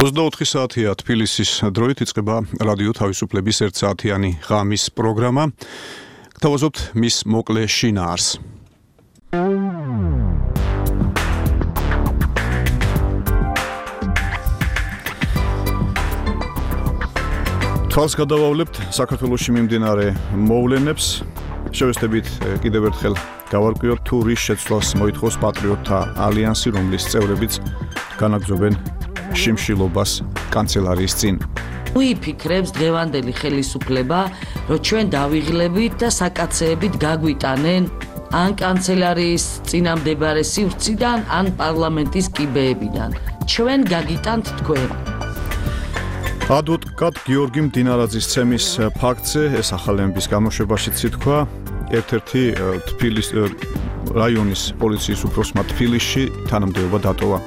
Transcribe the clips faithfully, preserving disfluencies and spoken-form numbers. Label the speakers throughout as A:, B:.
A: ოცდაოთხი საათია თბილისის დროით იწყება რადიო თავისუფლების ერთსაათიანი ღამის პროგრამა. გთავაზობთ მის მოკლე შინაარს. თვალს გადავავლებთ საქართველოში მიმდინარე მოვლენებს. შევესწრებით კიდევ ერთხელ გავარკვიოთ თუ რის შეცვლას მოითხოვს პატრიოტთა ალიანსი, რომლის წევრებიც განაგრძობენ შიმშილობას კანცელარიის წინ.
B: უიფიქრებს დღევანდელი ხელისუფლება, რომ ჩვენ დავიღლებით და საკაცეებით გაგვიტანენ ან კანცელარიის წინამდებარე სივრციდან, ან პარლამენტის კიბეებიდან. ჩვენ გაგიტანთ თქვენ.
A: ადვოკატ გიორგი მდინარაძის ცემის ფაქტზე ეს ახალების გამოშვებაშიც ითქვა, ერთ-ერთი თბილისის რაიონის პოლიციის უფროსმა თბილისში თანამდებობა დატოვა.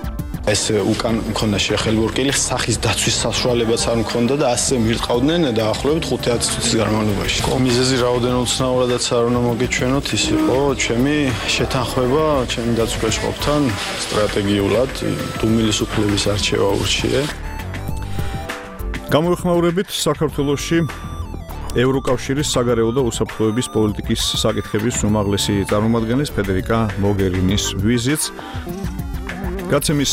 C: ეს უკან მქონდა შეხელურკილი სახის დაცვის საშუალებაც არ მქონდა და ასე მირტყავდნენ დაახლოებით ხუთი წუთის განმავლობაში. მიზეზი რაოდენობით ცნაურადაც არ უნდა მოგეჩვენოთ, ის იყო ჩემი შეთანხმება ჩემი დაცვისყოფთან სტრატეგიულად დუმილის უფლების არჩევა ურჩიე.
A: გამოიხმაურებით საქართველოში ევროკავშირის საგარეო და უსაფრთხოების პოლიტიკის საკითხების უმაღლესი წარმომადგენლის ფედერიკა მოგერინის ვიზიტს. გაცემის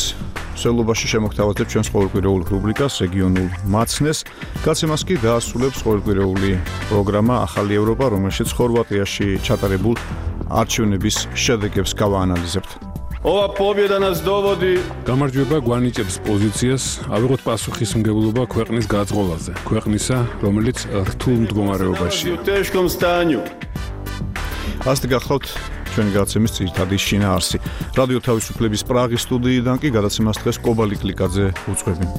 A: მსვლელობაში შემოგთავაზებთ ჩვენს ყოველკვირეულ რუბრიკას რეგიონულ მაცნეს. გაცემას კი დაასრულებს ყოველკვირეული პროგრამა ახალი ევროპა, რომელშიც ხორვატიაში ჩატარებულ არჩევნების შედეგებს გავაანალიზებთ.
D: ова победа нас доводи.
E: გამარჯვება გვანიჭებს პოზიციას, ავიღოთ პასუხისმგებლობა ქვეყნის გაწყობაზე, ქვეყნისა, რომელიც რთულ მდგომარეობაშია.
A: ასეთი გახლავთ ჩვენი გადაცემის ძირითადი შინაარსი. რადიო თავისუფლების პრაღის სტუდიიდან კი გადაცემას დღეს კობალი კლიკაძე უწყობენ.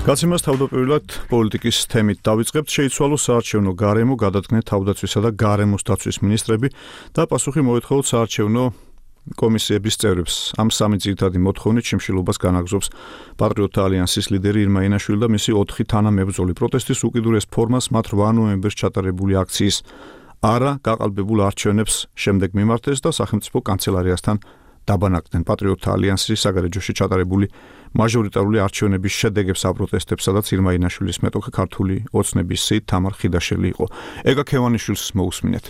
A: გადაცემას თავდაპირველად პოლიტიკის თემით დავიწყებთ. შეიცვალოს საარჩევნო გარემო, გადადგნენ თავდაცვისა და გარემოს დაცვის მინისტრები და პასუხი მოეთხოვოთ საარჩევნო კომისიების წევრებს. ამ სამი ძირითადი მოთხოვნით შიმშილობას განაგრძობს პატრიოტთა ალიანსის ლიდერი ირმა ინაშვილი და მისი ოთხი თანამებრძოლი. პროტესტის უკიდურეს ფორმას მათ რვა ნოემბერს ჩატარებული აქციის არა გაყალბებულ არჩევნებს შემდეგ მიმართეს და სახელმწიფო კანცელარიასთან დაბანაკდნენ. პატრიოტთა ალიანსის საგარეჯოში ჩატარებული მაჟორიტარული არჩევნების შედეგებს აპროტესტებს, სადაც ირმა ინაშვილის მეტოქე ქართული ოცნების სიით თამარ ხიდაშელი იყო. ეგა ქევანიშვილს მოусმინეთ.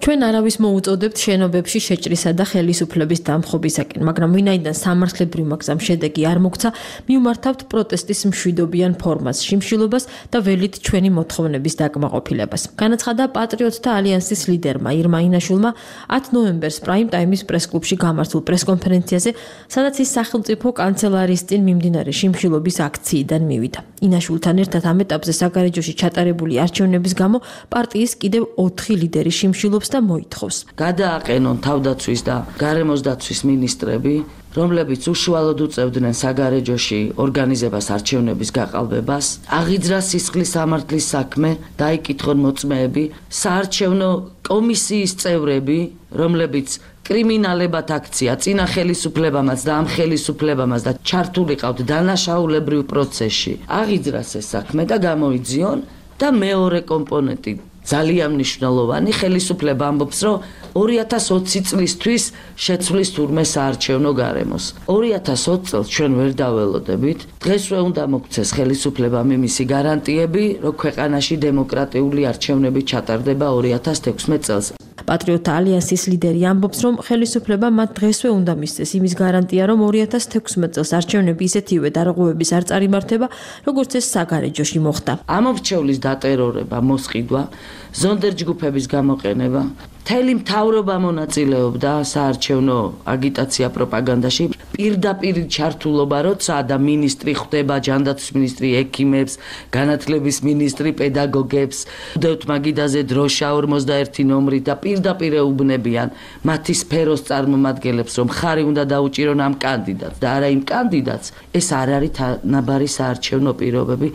F: ჩვენ არავის მოუწოდებთ შენობებში შეჭრისა და ხელისუფლების დამხობისაკენ, მაგრამ ვინაიდან სამართლებრივ მაგზამ შედეგი არ მოგცა, მივმართავთ პროტესტის მშვიდობიან ფორმას, შიმშილობას და ველით ჩვენი მოთხოვნების დაკმაყოფილებას. განაცხადა პატრიოტთა ალიანსის ლიდერმა ირმა ინაშვილმა ათი ნოემბერს პრაიმ ტაიმის პრესკლუბში გამართულ პრესკონფერენციაზე, სადაც ის სახელმწიფო კანცელარიის წინ მიმდინარე შიმშილობის აქციიდან მივიდა. ინაშვილთან ერთად ამ ეტაპზე საგარეჯოში ჩატარებული არჩევნების გამო პარტიის კიდევ ოთხი ლიდერი შიმშილობს და მოითხოვს.
B: გადააყენონ თავდაცვის და გარემოს დაცვის მინისტრები, რომლებიც უშუალოდ უწევდნენ საგარეჯოში ორგანიზებას არჩევნების გაყალბებას, აღიძრა სისხლის სამართლის საქმე, დაიკითხონ მოწმეები, საარჩევნო კომისიის წევრები, რომლებიც კრიმინალებად აქცია წინა ხელისუფლებამაც და ამ ხელისუფლებამაც და ჩართულიყავთ დანაშაულებრივ პროცესში. აღიძრას ეს საქმე და გამოიძიონ და მეორე კომპონენტი ძალიან მნიშვნელოვანი, ხელისუფლება ამბობს, რომ ორი ათას ოცი წლისთვის შეცვლის თურმე საარჩევნო გარემოს. ორი ათას ოცი წელს ჩვენ ვერ დაველოდებით. დღესვე უნდა მოგცეს ხელისუფლებამ იმისი გარანტიები, რომ ქვეყანაში დემოკრატიული არჩევნები ჩატარდება ორი ათას თექვსმეტ წელს.
F: პატრიოტთა ალიანსის ლიდერი ამბობს, რომ ხელისუფლება მათ დღესვე უნდა მისცეს იმის გარანტია, რომ ორი ათას თექვსმეტ წელს არჩევნები ისეთივე დარღვევების არ წარიმართება, როგორც ეს საგარეჯოში მოხდა.
B: ამორჩევლის დატერორება, მოსყიდვა, ზონდერჯგუფების გამოყენება, მთელი მთავრობა მონაწილეობდა საარჩევნო აგიტაცია პროპაგანდაში, პირდაპირ ჩართულობა როცა და მინისტრი ხვდება, ჯანდაცვის მინისტრი ექიმებს, განათლების მინისტრი პედაგოგებს, უდევთ მაგიდაზე დროშა ორმოცდაერთი ნომრით და პირდაპირ ეუბნებიან მათი სფეროს წარმომადგენლებს, რომ ხარი უნდა დაუჭირონ ამ კანდიდატს და არა იმ კანდიდატს. ეს არ არის თანაბარი საარჩევნო პირობები,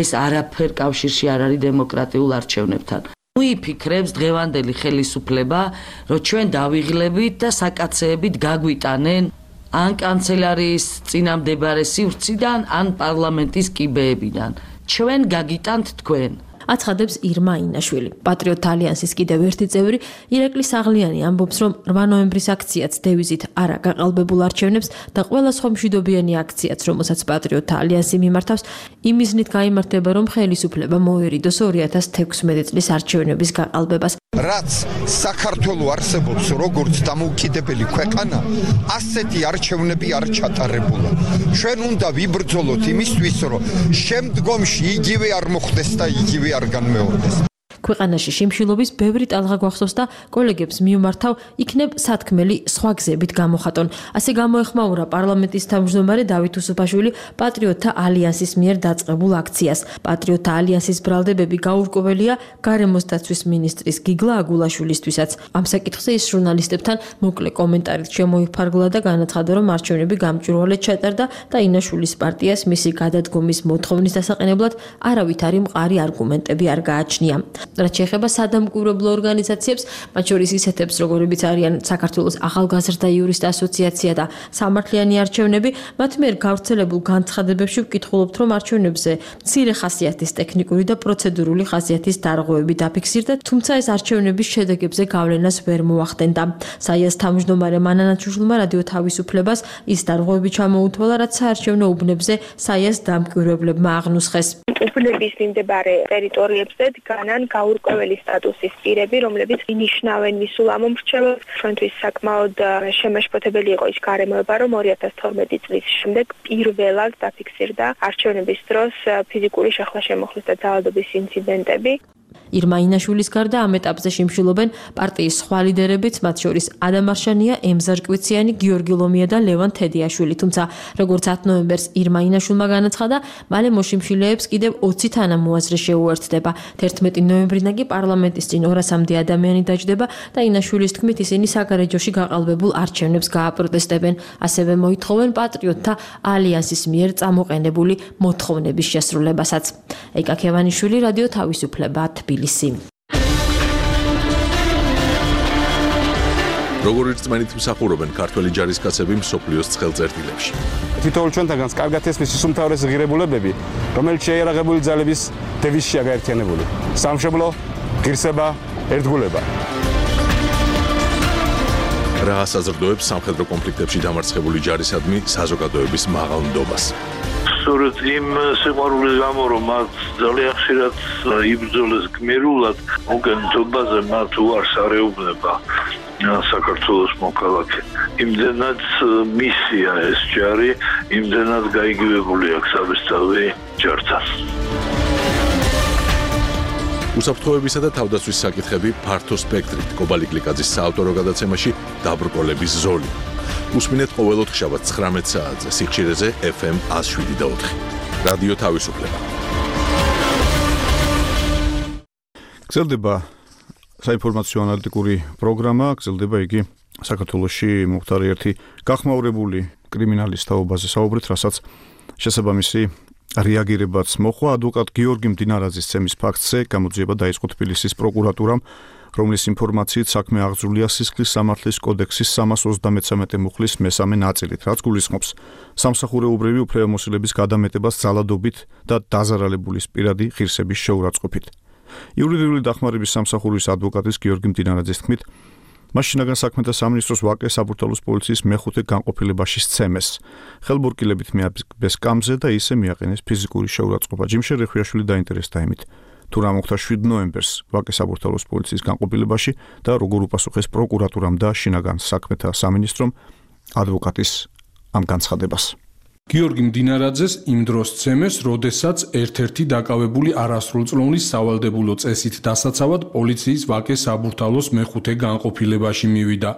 B: ეს არაფერ კავშირში არ არის დემოკრატიულ არჩევნებთან. უიფიქრებს დღევანდელი ხელისუფლება, რომ ჩვენ დავიღლებით და საკაცეებით გაგვიტანენ ან კანცელარიის წინამდებარე სივრციდან, ან პარლამენტის კიბეებიდან. ჩვენ გაგიტანთ თქვენ.
F: აცხადებს ირმა ინაშვილი. პატრიოტთა ალიანსის კიდევ ერთი წევრი ირაკლი საღლიანი ამბობს, რომ რვა ნოემბრის აქციაც დევიზით არა გაყალბებულ არჩევნებს და ყველა სხვა მშვიდობიანი აქციაც, რომელსაც პატრიოტთა ალიანსი მიმართავს, იმიზნით გაიმართება, რომ ხელისუფლება მოერიდოს ორი ათას თექვსმეტი წლის არჩევნების გაყალბებას.
G: რაც საქართველო არსებობს როგორც დამოუკიდებელი ქვეყანა, ასეთი არჩევნები არ ჩატარებულა. ჩვენ უნდა ვიბრძოლოთ იმისთვის, რომ შემდგომში იგივე არ მოხდეს და იგივე არ განმეორდეს.
F: ქვეყანაში შიმშილობის ბევრი ტალღა გვახსოვს და კოლეგებს მიუმართავ, იქნებ სათქმელი სხვა გზებით გამოხატონ. ასე გამოეხმაურა პარლამენტის თავმჯდომარე დავით უსუფაშვილი პატრიოტთა ალიანსის მიერ დაწყებულ აქციას. პატრიოტთა ალიანსის ბრალდებები გაურკვეველია გარემოს დაცვის მინისტრის გიგლა აგულაშვილისთვისაც. ამ საკითხზე ის ჟურნალისტებთან მოკლე კომენტარით შემოიფარგლა და განაცხადა, რომ არჩევნები გამჭვირვალედ ჩატარდა და ინაშვილის პარტიას მისი გადადგომის მოთხოვნის დასაყენებლად არავითარი მყარი არგუმენტები არ გააჩნია. რაც შეეხება სადამკვირვებლო ორგანიზაციებს, მათ შორის ისეთებს, როგორებიც არიან საქართველოს ახალგაზრდა იურისტთა ასოციაცია და სამართლიანი არჩევნები, მათ მიერ გავრცელებულ განცხადებებში ვკითხულობთ, რომ არჩევნებზე მცირე ხასიათის ტექნიკური და პროცედურული ხასიათის დარღვევები დაფიქსირდა, თუმცა ეს არჩევნების შედეგებზე გავლენას ვერ მოახდენდა. საიას თავმჯდომარე მანანა ჩუშლმა რადიო თავისუფლებას ის დარღვევები ჩამოუთვალა, რაც საარჩევნო უბნებზე საიას დამკვირვებლებმა აღნუსხეს.
H: უბნების მიმდებარე ტერიტორიებზე დგანან გაურკვეველი სტატუსის პირები, რომლებიც ინიშნავენ მისულ ამომრჩევლებს. ჩვენთვის საკმაოდ შემაშფოთებელი იყო ის გარემოება, რომ ორი ათას თორმეტი წლის შემდეგ პირველად დაფიქსირდა არჩევნების დროს ფიზიკური შეხლა-შემოხლის და ძალადობის ინციდენტები.
F: ირმა ინაშვილის გარდა ამ ეტაპზე შიმშილობენ პარტიის სხვა ლიდერებიც, მათ შორის ადამ არშანია, ემზარ კვიციანი, გიორგი ლომია და ლევან თედიაშვილი. თუმცა, როგორც ათი ნოემბერს ირმა ინაშვილმა განაცხადა, მალე მოშიმშილეებს კიდევ ოცი თანამოაზრე შეუერთდება. თერთმეტი ნოემბრიდან კი პარლამენტის წინ ორასამდე ადამიანი დაჯდება და ინაშვილის თქმით ისინი საგარეჯოში გაყალბებულ არჩევნებს გააპროტესტებენ. ასევე მოითხოვენ პატრიოტთა ალიანსის მიერ წამოყენებული მოთხოვნების შესრულებასაც. ეკა ქევანიშვილი, რადიო თავისუფლება, თბილისი.
I: როგორი რწმენით მსახურობენ ქართველი ჯარისკაცები მსოფლიოს ცხელწერტილებში.
J: თითოეულ ჩვენთაგანს კარგად ესმის ის უმთავრესი ღირებულებები, რომელიც შეიარაღებული ძალების დევიზშია გაერთიანებული. სამშობლო, ღირსება, ერთგულება.
I: რა ასაზრდოებს სამხედრო კონფლიქტებში დამარცხებული ჯარისადმი საზოგადოების მაღალ ნდობას.
K: სწორედ იმ სიყვარულის გამო, რომ მათ ძალიან ხშირად იბრძოლეს გმირულად, მოგენთობაზე მათ უარს არ ეუბნება საქართველოს მოქალაქე. იმდენად მისია ეს ჯარი, იმდენად გაიგივებული აქვს საბესწავლი ჯართან.
I: უსაფრთხოებისა და თავდაცვის საკითხები ფართო სპექტრით კობალი გლიკაძის საავტორო გადაცემაში დაბრკოლების ზოლი. უსმინეთ ყოველ ოთხშაბათს ცხრამეტ საათზე სიხშირეზე ეფ ემ ათს შვიდი და ოთხი. რადიო თავისუფლება.
A: გრძელდება საინფორმაციო ანალიტიკური პროგრამა, გრძელდება იგი საქართველოში მომხდარი ერთი გახმაურებული კრიმინალის თაობაზე საუბრით, რასაც შესაბამისი რეაგირებაც მოხვა. ადვოკატ გიორგი მდინარაძის ცემის ფაქტზე გამოძიება დაიწყო თბილისის პროკურატურამ, რომლის ინფორმაციით საქმე აღძრულია სისხლის სამართლის კოდექსის სამას ოცდამეცამეტე მუხლის მესამე ნაწილით, რაც გულისხმობს სამსახურეობრივი უფლებამოსილების გადამეტებას ძალადობით და დაზარალებულის პირადი ღირსების შეურაცხყოფით. იურიდიული დახმარების სამსახურის ადვოკატის გიორგი მდინარაძის თქმით, მას შინაგან საქმეთა სამინისტროს ვაკე საბურთალოს პოლიციის მეხუთე განყოფილებაში სცემეს. ხელბურკილებით მიაბეს კამზე და ისე მიაყენეს ფიზიკური შეურაცხყოფა. ჯიმშე რეხვიაშვილი დაინტერესდა იმით, თუ რა მოხდა შვიდ ნოემბერს ვაკე საბურთალოს პოლიციის განყოფილებაში და როგორ უპასუხეს პროკურატურამ და შინაგან საქმეთა სამინისტრომ ადვოკატის ამ განცხადებას.
L: გიორგი მდინარაძეს იმ დროს ცემეს, როდესაც ერთ-ერთი დაკავებული არასრულწლოვნის სავალდებულო წესით დასაცავად პოლიციის ვაკე საბურთალოს მეხუთე განყოფილებაში მივიდა.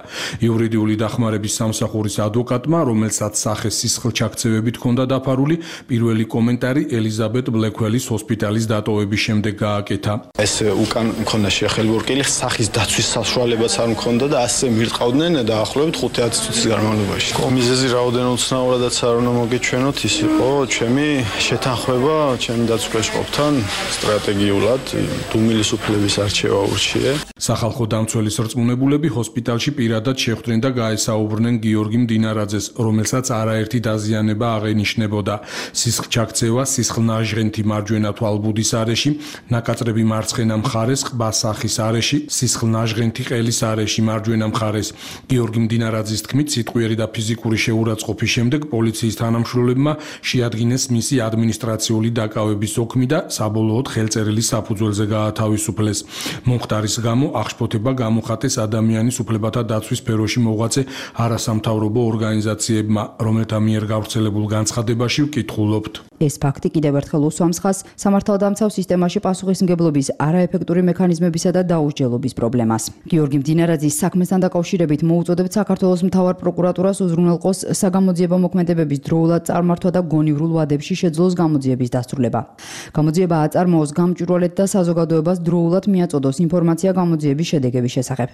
L: იურიდიული დახმარების სამსახურის ადვოკატმა, რომელსაც სახე სისხლჩაქცევებით ჰქონდა დაფარული, პირველი კომენტარი ელიზაბეთ ბლექველის ჰოსპიტალის დატოვების შემდეგ გააკეთა.
C: ეს უკან მქონდა შეხელბურკილი, სახის დაცვის საშუალებაც არ მქონდა და ასე მირტყავდნენ დაახლოებით ხუთი ათი წუთის განმავლობაში. კომიზეზი რაოდენობით ცნაურადაც არ უნდა მოგე მოგეჩვენოთ ის იყო ჩემი შეთანხმება ჩემი დაცვისყოფთან სტრატეგიულად დუმილის უფლების არჩევა ურჩიე.
L: სახალხო დამცველის რწმუნებულები ჰოსპიტალში პირადად შეხვდნენ და გაესაუბრნენ გიორგი მდინარაძეს, რომელსაც არაერთი დაზიანება აღენიშნებოდა. სისხლჩაქცევა, სისხლნაჟღენთი მარჯვენა თვალბუდის არეში, ნაკაწრები მარცხენა მხარეს, ყბასახის არეში, სისხლნაჟღენთი ყელის არეში მარჯვენა მხარეს. გიორგი მდინარაძის თქმით, სიტყვიერი და ფიზიკური შეურაცხყოფის შემდეგ პოლიციის თანამშრომლებმა შეადგინეს მისი ადმინისტრაციული დაკავების ოქმი და საბოლოოდ ხელწერილი საფუძველზე გაათავისუფლეს. მომხდარის გამო აღშფოთება გამოხატეს ადამიანის უფლებათა დაცვის სფეროში მოღვაწე არასამთავრობო ორგანიზაციებმა, რომელთა მიერ გავრცელებულ განცხადებაში ვკითხულობთ.
M: ეს ფაქტი კიდევ ერთხელ უსვამს ხაზს სამართალდამცავ სისტემაში პასუხისმგებლობის არაეფექტური მექანიზმებისა და დაუსჯელობის პრობლემას. გიორგი მდინარაძის საქმესთან დაკავშირებით მოუწოდებთ საქართველოს მთავარ პროკურატურას უზრუნველყოს საგამოძიებო მოქმედებების დროულად წარმართვა და გონივრულ ვადებში შეძლოს გამოძიების დასრულება. გამოძიება აწარმოოს გამჭვირვალედ და საზოგადოებას დროულად მიაწოდოს ინფორმაცია გამოძიების შედეგების შესახებ.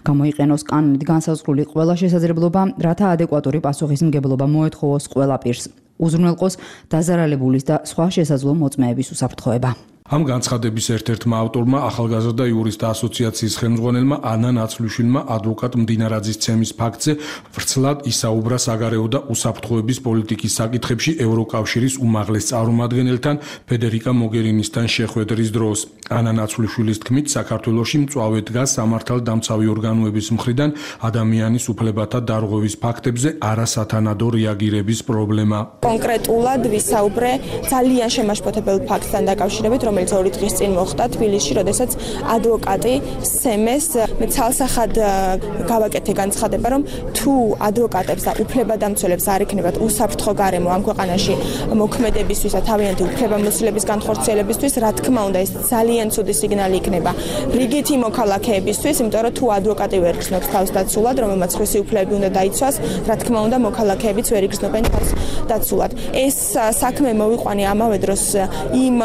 M: გამოიყენოს კანონით განსაზღვრული ყველა შესაძლებლობა, რათა ადეკვატური პასუხისმგებლობა მოეთხოვოს ყველა პირს. უზრუნველყოს დაზარალებულის და სხვა შესაძლო მოწმეების უსაფრთხოება.
L: ამ განცხადების ერთ-ერთმა ავტორმა ახალგაზრდა იურისტთა ასოციაციის ხელმძღვანელმა ანა ნაცვლიშვილმა ადვოკატ მდინარაძის ცემის ფაქტზე ვრცლად ისაუბრა საგარეო და უსაფრთხოების პოლიტიკის საკითხებში ევროკავშირის უმაღლეს წარმომადგენელთან ფედერიკა მოგერინისთან შეხვედრის დროს. ანა ნაცვლიშვილის თქმით, საქართველოში მწვავე დგას სამართალდამცავი ორგანოების მხრიდან ადამიანის უფლებათა დარღვევის ფაქტებზე არასათანადო რეაგირების პრობლემა.
N: კონკრეტულად ვისაუბრე ძალიან შემაშფოთებელ ფაქტთან დაკავშირებით, რომელიც ორი დღის წინ მოხდა თბილისში, როდესაც ადვოკატი სემეს მე ცალსახად გავაკეთე განცხადება, რომ თუ ადვოკატებს და უფლებადამცველებს არ იქნებათ უსაფრთხო გარემო ამ ქვეყანაში მოქმედებისთვის და თავიანთი უფლებამოსილების განხორციელებისთვის, რა თქმა უნდა, ეს ძალიან ცუდი სიგნალი იქნება რიგითი მოქალაქეებისთვის, იმიტომ რომ თუ ადვოკატი ვერ გრძნობს თავს დაცულად, რომელმაც ხმისი უფლებები უნდა დაიცვას, რა თქმა უნდა, მოქალაქეებიც ვერ იგრძნობენ თავს დაცულად. ეს საქმე მოვიყვანე ამავე დროს იმ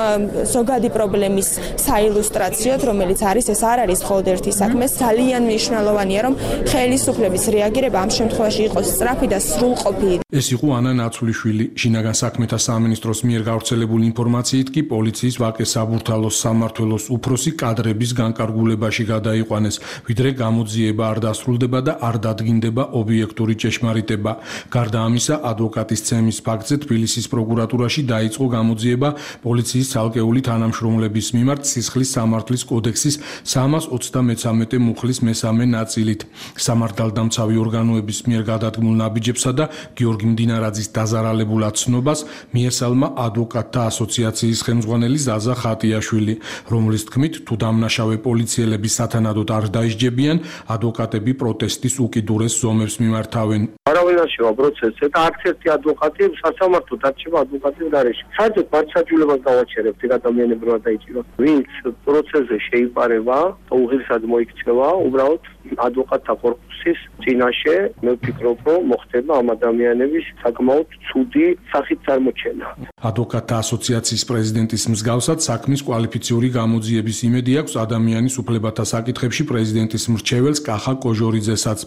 N: ზოგადი პრობლემის საილუსტრაციოდ, რომელიც არის, ეს არ არის მხოლოდ ერთი საქმე, ძალიან მნიშვნელოვანია, რომ ხელისუფლების რეაგირება ამ შემთხვევაში იყოს სწრაფი და სრულყოფილი.
L: ეს იყო ანა ნაცვლიშვილი. შინაგან საქმეთა სამინისტროს მიერ გავრცელებული ინფორმაციით კი პოლიციის ვაკე საბურთალოს სამმართველოს უფროსი კადრების განკარგულებაში გადაიყვანეს, ვიდრე გამოძიება არ დასრულდება და არ დადგინდება ობიექტური ჭეშმარიტება. გარდა ამისა, ადვოკატის ცემის ფაქტზე თბილისის პროკურატურაში დაიწყო გამოძიება პოლიციის ცალკეული თანამშრომლების მიმართ სისხლის სამართლის კოდექსის სამას ოცდამეცამეტე მუხლის მესამე ნაწილით. სამართალდამცავი ორგანოების მიერ გადადგმულ ნაბიჯებსა და გიორგი მდინარაძის დაზარალებულად ცნობას მიესალმა ადვოკატთა ასოციაციის ხელმძღვანელი ზაზა ხატიაშვილი, რომლის თქმით, თუ დამნაშავე პოლიციელები სათანადოდ არ დაისჯებიან, ადვოკატები პროტესტის უკიდურეს ზომებს მიმართავენ.
O: არავინ არ შევა პროცესზე და არც ერთი ადვოკატი სასამართლო დარჩება ადვოკატის გარეშე. საერთოდ მართლმსაჯულებას დავაჩერებთ ადამიანებმა დაიჭიროთ. ვინც პროცესზე შეიპარება, უღირსად მოიქცევა, უბრალოდ ადვოკატთა კორპუსის წინაშე მე ვფიქრობ, რომ მოხდება ამ ადამიანების საკმაოდ ცუდი სახით წარმოჩენა.
L: ადვოკატთა ასოციაციის პრეზიდენტის მსგავსად საქმის კვალიფიციური გამოძიების იმედი აქვს ადამიანის უფლებათა საკითხებში პრეზიდენტის მრჩეველს კახა კოჟორიძესაც,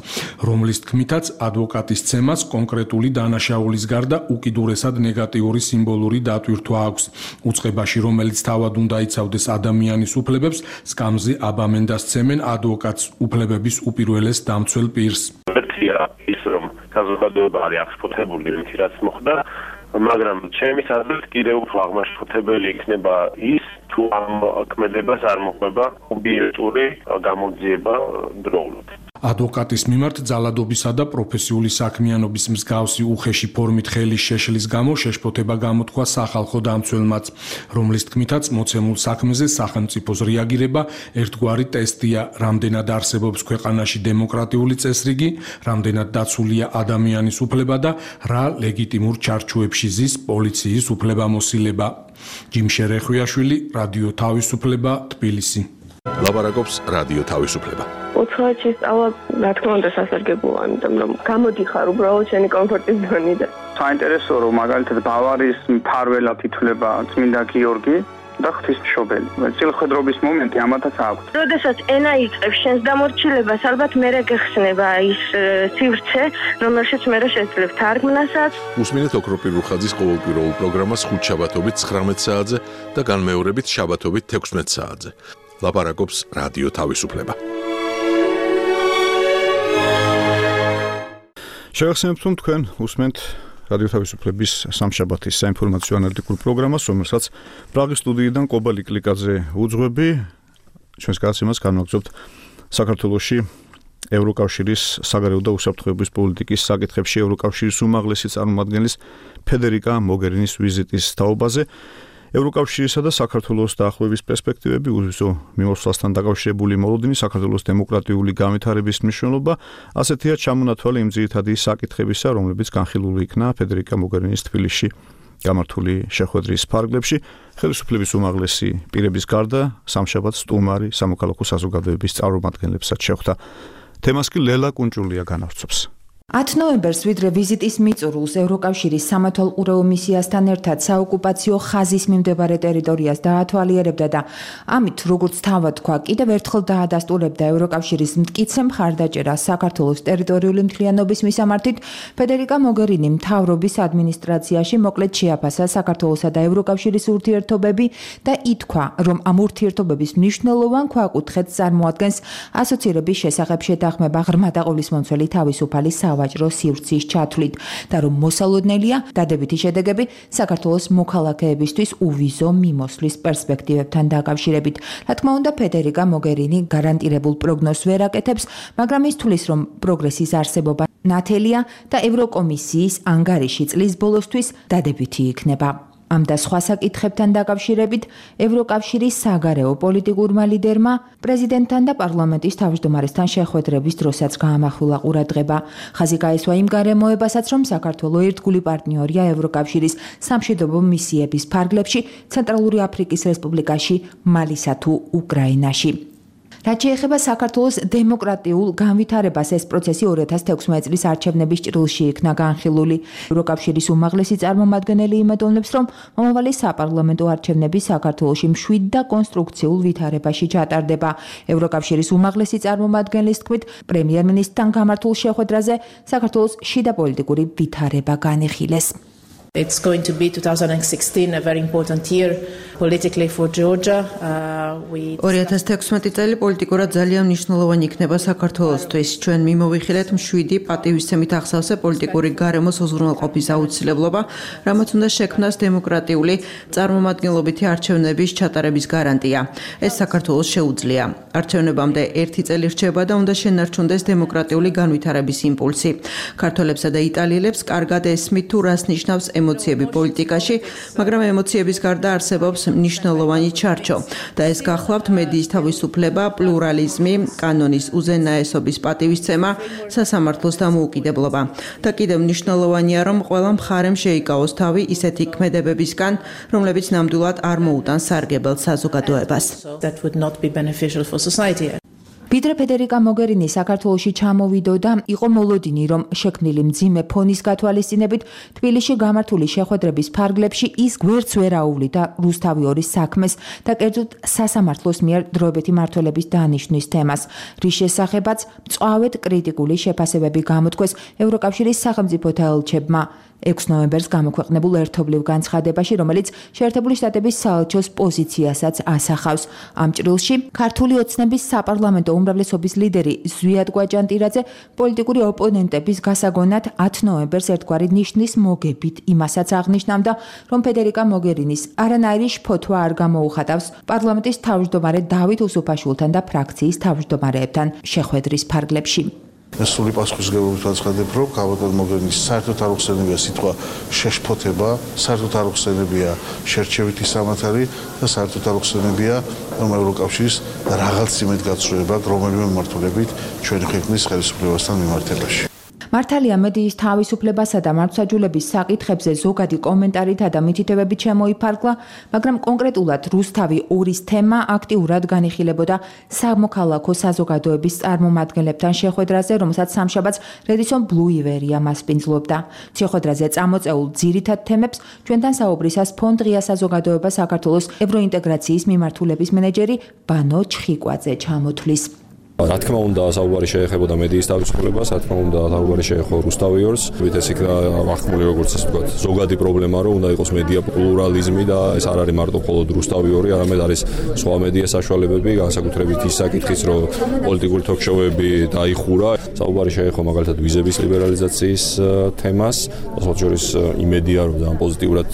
L: რომლის თქმითაც ადვოკატის ცემას კონკრეტული დანაშაულის გარდა უკიდურესად ნეგატიური სიმბოლური დატვირთვა აქვს. უწყებაში, რომელიც თავად უნდა იცავდეს ადამიანის უფლებებს, სკამზე აბამენდას ცემენ ადვოკატს, უფლებების უპირველეს დამცველ პირს.
P: ერთია ის, რომ საზოგადოება არის აღშფოთებული იმით, რაც მოხდა, მაგრამ ჩემის აზრით კიდევ უფრო აღმაშფოთებელი იქნება ის, თუ ამ ქმედებას არ მოყვება ობიექტური გამოძიება დროულად.
L: ადვოკატის მიმართ ძალადობისა და პროფესიული საქმიანობის მსგავსი უხეში ფორმით ხელის შეშლის გამო შეშფოთება გამოთქვა სახალხო დამცველმაც, რომლის თქმითაც მოცემულ საქმეზე სახელმწიფოს რეაგირება ერთგვარი ტესტია, რამდენად არსებობს ქვეყანაში დემოკრატიული წესრიგი, რამდენად დაცულია ადამიანის უფლება და რა ლეგიტიმურ ჩარჩოებში ზის პოლიციის უფლებამოსილება. ჯიმ შერეხვიაშვილი, რადიო თავისუფლება, თბილისი.
I: ლაბარაკობს რადიო თავისუფლება.
Q: უცხოეთში სწავლა, რა თქმა უნდა, სასარგებლოა, იმიტომ რომ გამოდიხარ უბრალოდ შენი კომფორტის ზონიდან.
R: საინტერესოა, რომ მაგალითად ბავარიის მფარველად ითვლება წმინდა გიორგი და ღვთისმშობელი. წილხედრობის მომენტი ამათაც აქვს.
Q: როდესაც ენა იწყებს შენს დამორჩილებას, ალბათ მერე გეხსნება ის სივრცე, რომელშიც მერე შეძლებ თარგმნასაც.
I: უსმინეთ ოქროპირ რუხაძის ყოველკვირეულ პროგრამას ხუთ შაბათობით ცხრამეტ საათზე და განმეორებით შაბათობით თექვსმეტ საათზე. ლაპარაკობს რადიო თავისუფლება.
A: შევახსენებთ, რომ თქვენ უსმენთ რადიო თავისუფლების სამშაბათის საინფორმაციო ანალიტიკურ პროგრამას, რომელსაც პრაღის სტუდიიდან კობალი კლიკაძე უძღვები. ჩვენს გადაცემას განვაგრძობთ საქართველოში ევროკავშირის საგარეო და უსაფრთხოების პოლიტიკის საკითხებში ევროკავშირის უმაღლესი წარმომადგენლის ფედერიკა მოგერინის ვიზიტის თაობაზე. ევროკავშირისა და საქართველოს დაახლოების პერსპექტივები, უზო მიმოსვლასთან დაკავშირებული მოლოდინი, საქართველოს დემოკრატიული განვითარების მნიშვნელობა, ასეთია ჩამონათვალე იმ ძირითადი საკითხებისა, რომლებიც განხილული იქნა ფედერიკა მოგერინის თბილისში გამართული შეხვედრის ფარგლებში. ხელისუფლების უმაღლესი პირების გარდა სამშაბათს სტუმარი სამოქალაქო საზოგადოების წარმომადგენლებსაც შეხვდა. თემას კი ლელა კუნჭულია განავრცობს.
S: ათი ნოემბერს ვიდრე ვიზიტის მიწურულს ევროკავშირის სამართალყურეო მისიასთან ერთად საოკუპაციო ხაზის მიმდებარე ტერიტორიას დაათვალიერებდა და ამით როგორც თავად თქვა, კიდევ ერთხელ დაადასტურებდა ევროკავშირის მტკიცე მხარდაჭერას საქართველოს ტერიტორიული მთლიანობის მისამართით, ფედერიკა მოგერინი მთავრობის ადმინისტრაციაში მოკლედ შეაფასა საქართველოსა და ევროკავშირის ურთიერთობები და ითქვა, რომ ამ ურთიერთობების მნიშვნელოვან ქვაკუთხედს წარმოადგენს ასოცირების შესახებ შეთანხმება ღრმა და ყოვლისმომცველი თავისუფალი სავაჭრო სივრცის ჩათვლით და რომ მოსალოდნელია დადებითი შედეგები საქართველოს მოქალაქეებისთვის უვიზო მიმოსვლის პერსპექტივებთან დაკავშირებით. რა თქმა უნდა, ფედერიკა მოგერინი გარანტირებულ პროგნოზს ვერ აკეთებს, მაგრამ ის თვლის, რომ პროგრესის არსებობა ნათელია და ევროკომისიის ანგარიში წლის ბოლოსთვის დადებითი იქნება. ამ და სხვა საკითხებთან დაკავშირებით ევროკავშირის საგარეო პოლიტიკურმა ლიდერმა პრეზიდენტთან და პარლამენტის თავმჯდომარესთან შეხვედრების დროსაც გაამახვილა ყურადღება. ხაზი გაესვა იმ გარემოებასაც, რომ საქართველო ერთგული პარტნიორია ევროკავშირის სამშვიდობო მისიების ფარგლებში ცენტრალური აფრიკის რესპუბლიკაში, მალისა თუ უკრაინაში. რაც შეეხება საქართველოს დემოკრატიულ განვითარებას, ეს პროცესი ორი ათას თექვსმეტი წლის არჩევნების ჭრილში იქნა განხილული. ევროკავშირის უმაღლესი წარმომადგენელი იმედოვნებს, რომ მომავალი საპარლამენტო არჩევნები საქართველოში მშვიდ და კონსტრუქციულ ვითარებაში ჩატარდება. ევროკავშირის უმაღლესი წარმომადგენლის თქმით, პრემიერ-მინისტრთან გამართულ შეხვედრაზე საქართველოს შიდა პოლიტიკური ვითარება განიხილეს.
T: It's going to be twenty sixteen a very important year politically for Georgia. Uh, we
U: ორი ათას თექვსმეტი წელი პოლიტიკურად ძალიან მნიშვნელოვანი იქნება საქართველოსთვის. ჩვენ მიმოვიხილეთ მშვიდი პატივისცემით ახსავსე პოლიტიკური გარემოს უზრუნველყოფის აუცილებლობა, რამაც უნდა შექმნას დემოკრატიული წარმომადგენლობითი არჩევნების ჩატარების გარანტია. ეს საქართველოს შეუძლია. არჩევნებამდე ერთი წელი რჩება და უნდა შენარჩუნდეს დემოკრატიული განვითარების იმპულსი. ქართველებსა და იტალიელებს კარგად ესმით თუ რას ნიშნავს ემოციები პოლიტიკაში, მაგრამ ემოციების გარდა არსებობს მნიშვნელოვანი ჩარჩო და ეს გახლავთ მედიის თავისუფლება, პლურალიზმი, კანონის უზენაესობის პატივისცემა, სასამართლოს დამოუკიდებლობა. და კიდევ მნიშვნელოვანია, რომ ყველა მხარემ შეიკავოს თავი ისეთი ქმედებებისგან, რომლებიც ნამდვილად არ მოუტანს სარგებელს საზოგადოებას.
T: That would not be beneficial for society.
S: ვიდრე ფედერიკა მოგერინი საქართველოში ჩამოვიდოდა, იყო მოლოდინი, რომ შექმნილი მძიმე ფონის გათვალისწინებით თბილისში გამართული შეხვედრების ფარგლებში ის გვერდს ვერ აუვლიდა რუსთავი ორის საქმეს და კერძოდ სასამართლოს მიერ დროებითი მმართველობის დანიშვნის თემას, რის შესახებაც მწვავედ კრიტიკული შეფასებები გამოთქვეს ევროკავშირის სახელმწიფოთა ელჩებმა. ექვსი ნოემბერს გამოქვეყნებულ ერთობლივ განცხადებაში, რომელიც შეერთებული შტატების საელჩოს პოზიციასაც ასახავს. ამ ჭრილში ქართული ოცნების საპარლამენტო უმრავლესობის ლიდერი ზვიად კვაჭანტირაძე პოლიტიკური ოპონენტების გასაგონად ათი ნოემბერს ერთგვარი ნიშნის მოგებით იმასაც აღნიშნავდა, რომ ფედერიკა მოგერინის არანაირი შფოთვა არ გამოუხატავს პარლამენტის თავმჯდომარე დავით უსუფაშვილთან და ფრაქციის თავმჯდომარეებთან შეხვედრის ფარგლებში.
V: ეს სული პასუხისმგებლობით ვაცხადებ, რომ კაბატონ მოგერინის საერთოდ არ უხსენებია სიტყვა შეშფოთება, საერთოდ არ უხსენებია შერჩევითი სამართალი და საერთოდ არ უხსენებია რომ ევროკავშირის რაღაც იმედგაცრუება, რომელიმე მიმართულებით ჩვენი ქვეყნის ხელისუფლებასთან მიმართებაში.
S: მართალია მედიის თავისუფლებასა და მართლმსაჯულების საკითხებზე ზოგადი კომენტარითა და მითითებებით შემოიფარგლა, მაგრამ კონკრეტულად რუსთავი ორის თემა აქტიურად განიხილებოდა სამოქალაქო საზოგადოების წარმომადგენლებთან შეხვედრაზე, რომელსაც სამშაბათს რედისონ ბლუ ივერია მასპინძლობდა. შეხვედრაზე წამოწეულ ძირითად თემებს ჩვენთან საუბრისას ფონდ ღია საზოგადოება საქართველოს ევროინტეგრაციის მიმართულების მენეჯერი ბანო ჩხიკვაძე ჩამოთვლის.
D: რა თქმა უნდა, საუბარი შეეხებოდა მედიის თავისუფლებას, რა თქმა უნდა, საუბარი შეეხო რუსთავი ორს. ეს იქნა ახმული როგორც ასე ვთქვათ, ზოგადი პრობლემა, რომ უნდა იყოს მედია პლურალიზმი და ეს არ არის მარტო მხოლოდ რუსთავი ორი, არამედ არის სხვა მედია საშუალებები, განსაკუთრებით ის საკითხიც, რომ პოლიტიკური თოქ-შოუები დაიხურა. საუბარი შეეხო მაგალითად ვიზების ლიბერალიზაციის თემას, ასეთ შორის იმედია, რომ ძალიან პოზიტიურად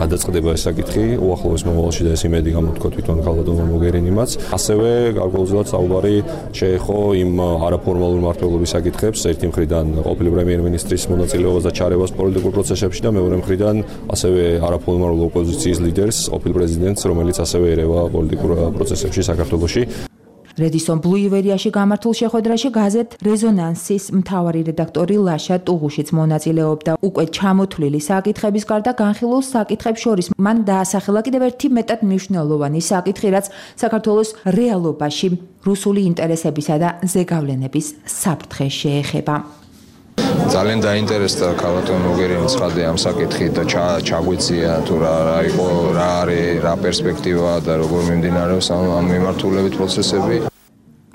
D: გადაწყდება ეს საკითხი, უახლოეს მომავალში და ეს იმედი გამოთქვა თვითონ ქალბატონმა მოგერინიმაც. ასევე გარკვეულწილად საუბარი შეეხო იმ არაფორმალურ მმართველობის საკითხებს, ერთი მხრიდან ყოფილი პრემიერ-მინისტრის მონაწილეობას და ჩარევას პოლიტიკურ პროცესებში და მეორე მხრიდან ასევე არაფორმალურ ოპოზიციის ლიდერს, ყოფილ პრეზიდენტს, რომელიც ასევე ერევა პოლიტიკურ პროცესებში საქართველოში.
S: რედისონ ბლუ ივერიაში გამართულ შეხვედრაში გაზეთ რეზონანსის მთავარი რედაქტორი ლაშა ტუღუშიც მონაწილეობდა. უკვე ჩამოთვლილი საკითხების გარდა განხილულ საკითხებს შორის მან დაასახელა კიდევ ერთი მეტად მნიშვნელოვანი საკითხი, რაც საქართველოს რეალობაში რუსული ინტერესებისა და ზეგავლენების საფრთხეს შეეხება.
E: ძალიან დაინტერესდა ქალბატონ მოგერინის ხალხი ამ საკითხით და ჩაგვეცია თუ რა რა იყო, რა არის, რა პერსპექტივა და როგორ მიმდინარეობს ამ მიმართულებით პროცესები.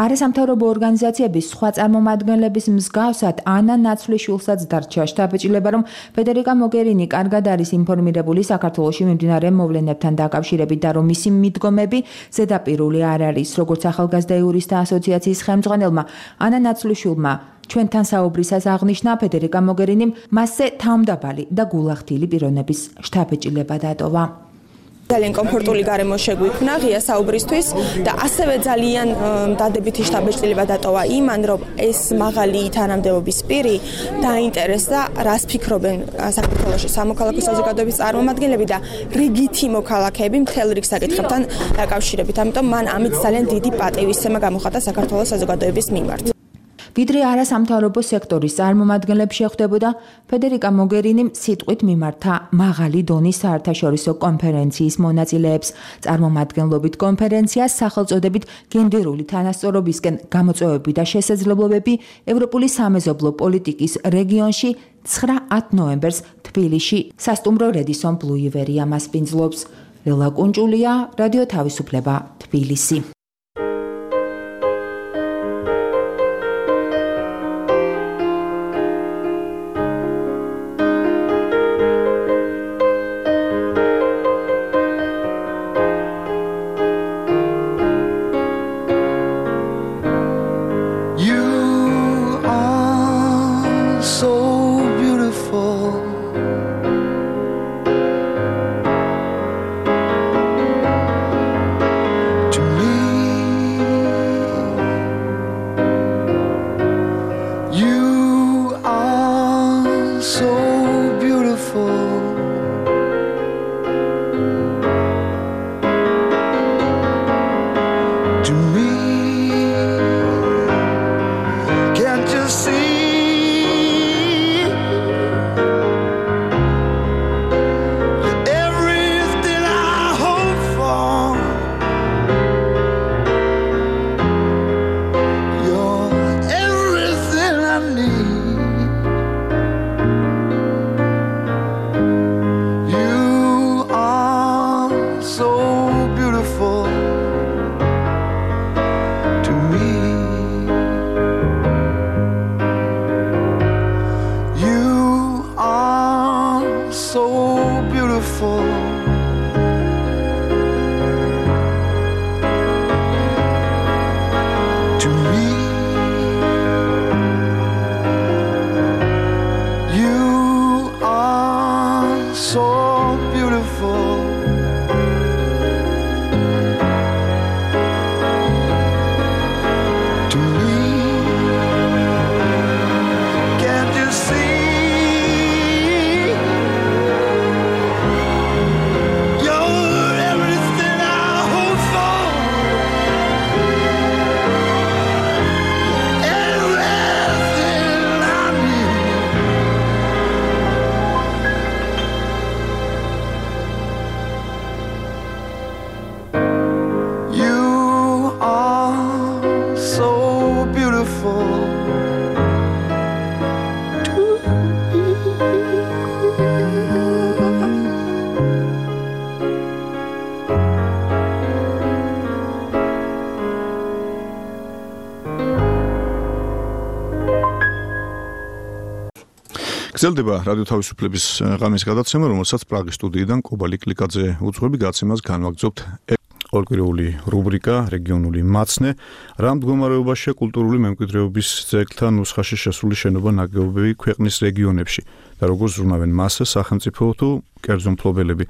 S: არასამთავრობო ორგანიზაციების სხვა წარმომადგენლების მსგავსად ანა ნაცვლიშვილსაც დარჩა შთაბეჭდილება, რომ ფედერიკა მოგერინი კარგად არის ინფორმირებული საქართველოში მიმდინარე მოვლენებთან დაკავშირებით და რომ მისი მიდგომები ზედაპირული არ არის, როგორც ახალგაზრდა იურისტთა ასოციაციის ხელმძღვანელმა ანა ნაცვლიშვილმა ჩვენთან საუბრისას აღნიშნა, ფედერიკა მოგერინიმ მასზე თავმდაბალი და გულახდილი პიროვნების შთაბეჭდილება დატოვა.
N: ძალიან კომფორტული გარემო შეგვიქმნა ღია საუბრისთვის და ასევე ძალიან დადებითი შთაბეჭდილება დატოვა იმან, რომ ეს მაღალი თანამდებობის პირი დაინტერესდა, რას ფიქრობენ საქართველოში სამოქალაქო საზოგადოების წარმომადგენლები და რიგითი მოქალაქეები მთელ რიგ საკითხებთან დაკავშირებით. ამიტომ მან ამით ძალიან დიდი პატივისცემა გამოხატა საქართველოს საზოგადოების მიმართ.
S: ვიდრე არასამთავრობო სექტორის წარმომადგენლებს შეხვდებოდა, ფედერიკა მოგერინიმ სიტყვით მიმართა მაღალი დონის საერთაშორისო კონფერენციის მონაწილეებს. წარმომადგენლობით კონფერენციას სახელწოდებით გენდერული თანასწორობისკენ გამოწვევები და შესაძლებლობები ევროპული სამეზობლო პოლიტიკის რეგიონში ცხრა-ათ ნოემბერს თბილისში სასტუმრო რედისონ ბლუ ივერია მასპინძლობს. ლელა კუნჭულია, რადიო თავისუფლება, თბილისი.
W: To me
B: beautiful.
A: გრძელდება რადიო თავისუფლების ღამის გადაცემა, რომელსაც პრაღის სტუდიიდან კობალი კლიკაძე უძღვები, გაცემას განვაგრძობთ ორკვირეული რუბრიკა რეგიონული მაცნე, რა მდგომარეობაშია კულტურული მემკვიდრეობის ძეგლთა ნუსხაში შესული შენობა ნაგებობები ქვეყნის რეგიონებში და როგორ ზრუნავენ მას სახელმწიფო თუ კერძო მფლობელები.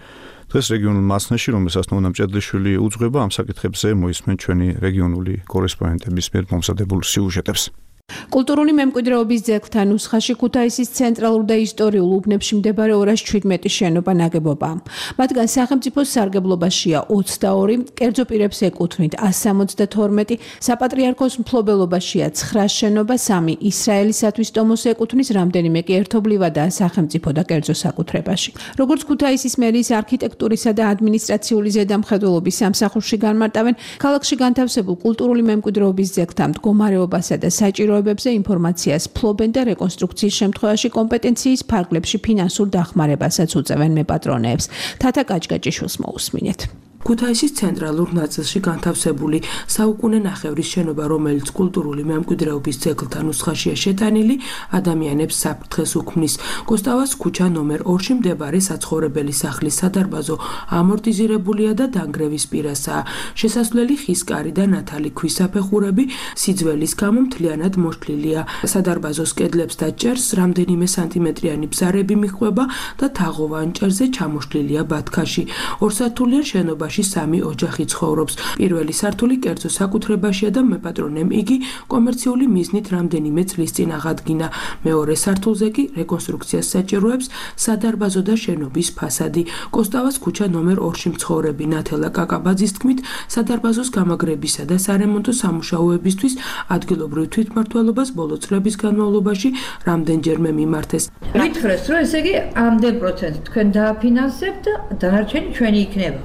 A: დღეს რეგიონულ მაცნეში, რომელსაც ნონა მჭედლიშვილი უძღვება, ამ საკითხებზე მოისმენ ჩვენი რეგიონული კორესპონდენტების მიერ მომზადებულ სიუჟეტებს.
G: კულტურული მემკვიდრეობის ძეგლთა ნუსხაში ქუთაისის ცენტრალურ და ისტორიულ უბნებში მდებარე ორას შვიდმეტი შენობა ნაგებობაა. მათგან სახელმწიფოს სარგებლობაშია ოცდაორი, კერძო პირებს ეკუთვნით ასს სამოცდათორმეტი, საპატრიარქოს მფლობელობაშია ცხრა შენობა, სამი ისრაელისათვის ტომოს ეკუთვნის, რამდენიმე კი ერთობლივადაა სახელმწიფო და კერძო საკუთრებაში. როგორც ქუთაისის მერიის არქიტექტურისა და ადმინისტრაციული ზედამხედველობის სამსახურში განმარტავენ, ქალაქში განთავსებულ კულტურული მემკვიდრეობის ძეგლთა მდგომარეობასა და საჭირო ინფორმაციას ფლობენ და რეკონსტრუქციის შემთხვევაში კომპეტენციის ფარგლებში ფინანსურ დახმარებასაც უწევენ მეპატრონეებს. თათა კაჭკაჭიშვილს მოусმინეთ.
W: ქუთაისის ცენტრალურ ნაწილში განთავსებული საუკუნე ნახევრის შენობა, რომელიც კულტურული მემკვიდრეობის ძეგლთა ნუსხაშია შეტანილი, ადამიანებს საფრთხეს უქმნის. კოსტავას ქუჩა ნომერ ორში მდებარე საცხოვრებელი სახლის სადარბაზო ამორტიზირებულია და დანგრევის პირასაა. შესასვლელი ხის კარი და ნათალი ქვის საფეხურები სიძველის გამო მთლიანად მოშლილია. სადარბაზოს კედლებს და ჭერს რამდენიმე სანტიმეტრიანი ბზარები მიჰყვება და თაღოვან ჭერზე ჩამოშლილია ბათქაში. ორსართულიან შენობა სამი ოჯახი ცხოვრობს. პირველი სართული კერძო საკუთრებაშია და მეპატრონემ იგი კომერციული მიზნით რამდენიმე წლის წინ აღადგინა. მეორე სართულზე კი რეკონსტრუქციას საჭიროებს სადარბაზო და შენობის ფასადი. კოსტავას ქუჩა ნომერ ორში მცხოვრები ნათელა კაკაბაძის თქმით, სადარბაზოს გამაგრებისა და სარემონტო სამუშაოებისთვის ადგილობრივ თვითმმართველობას ბოლო წლების განმავლობაში რამდენჯერმე მიმართეს.
X: მითხრეს, რომ ესე იგი ამდენ პროცენტ თქვენ დააფინანსებთ და დანარჩენი ჩვენი იქნება.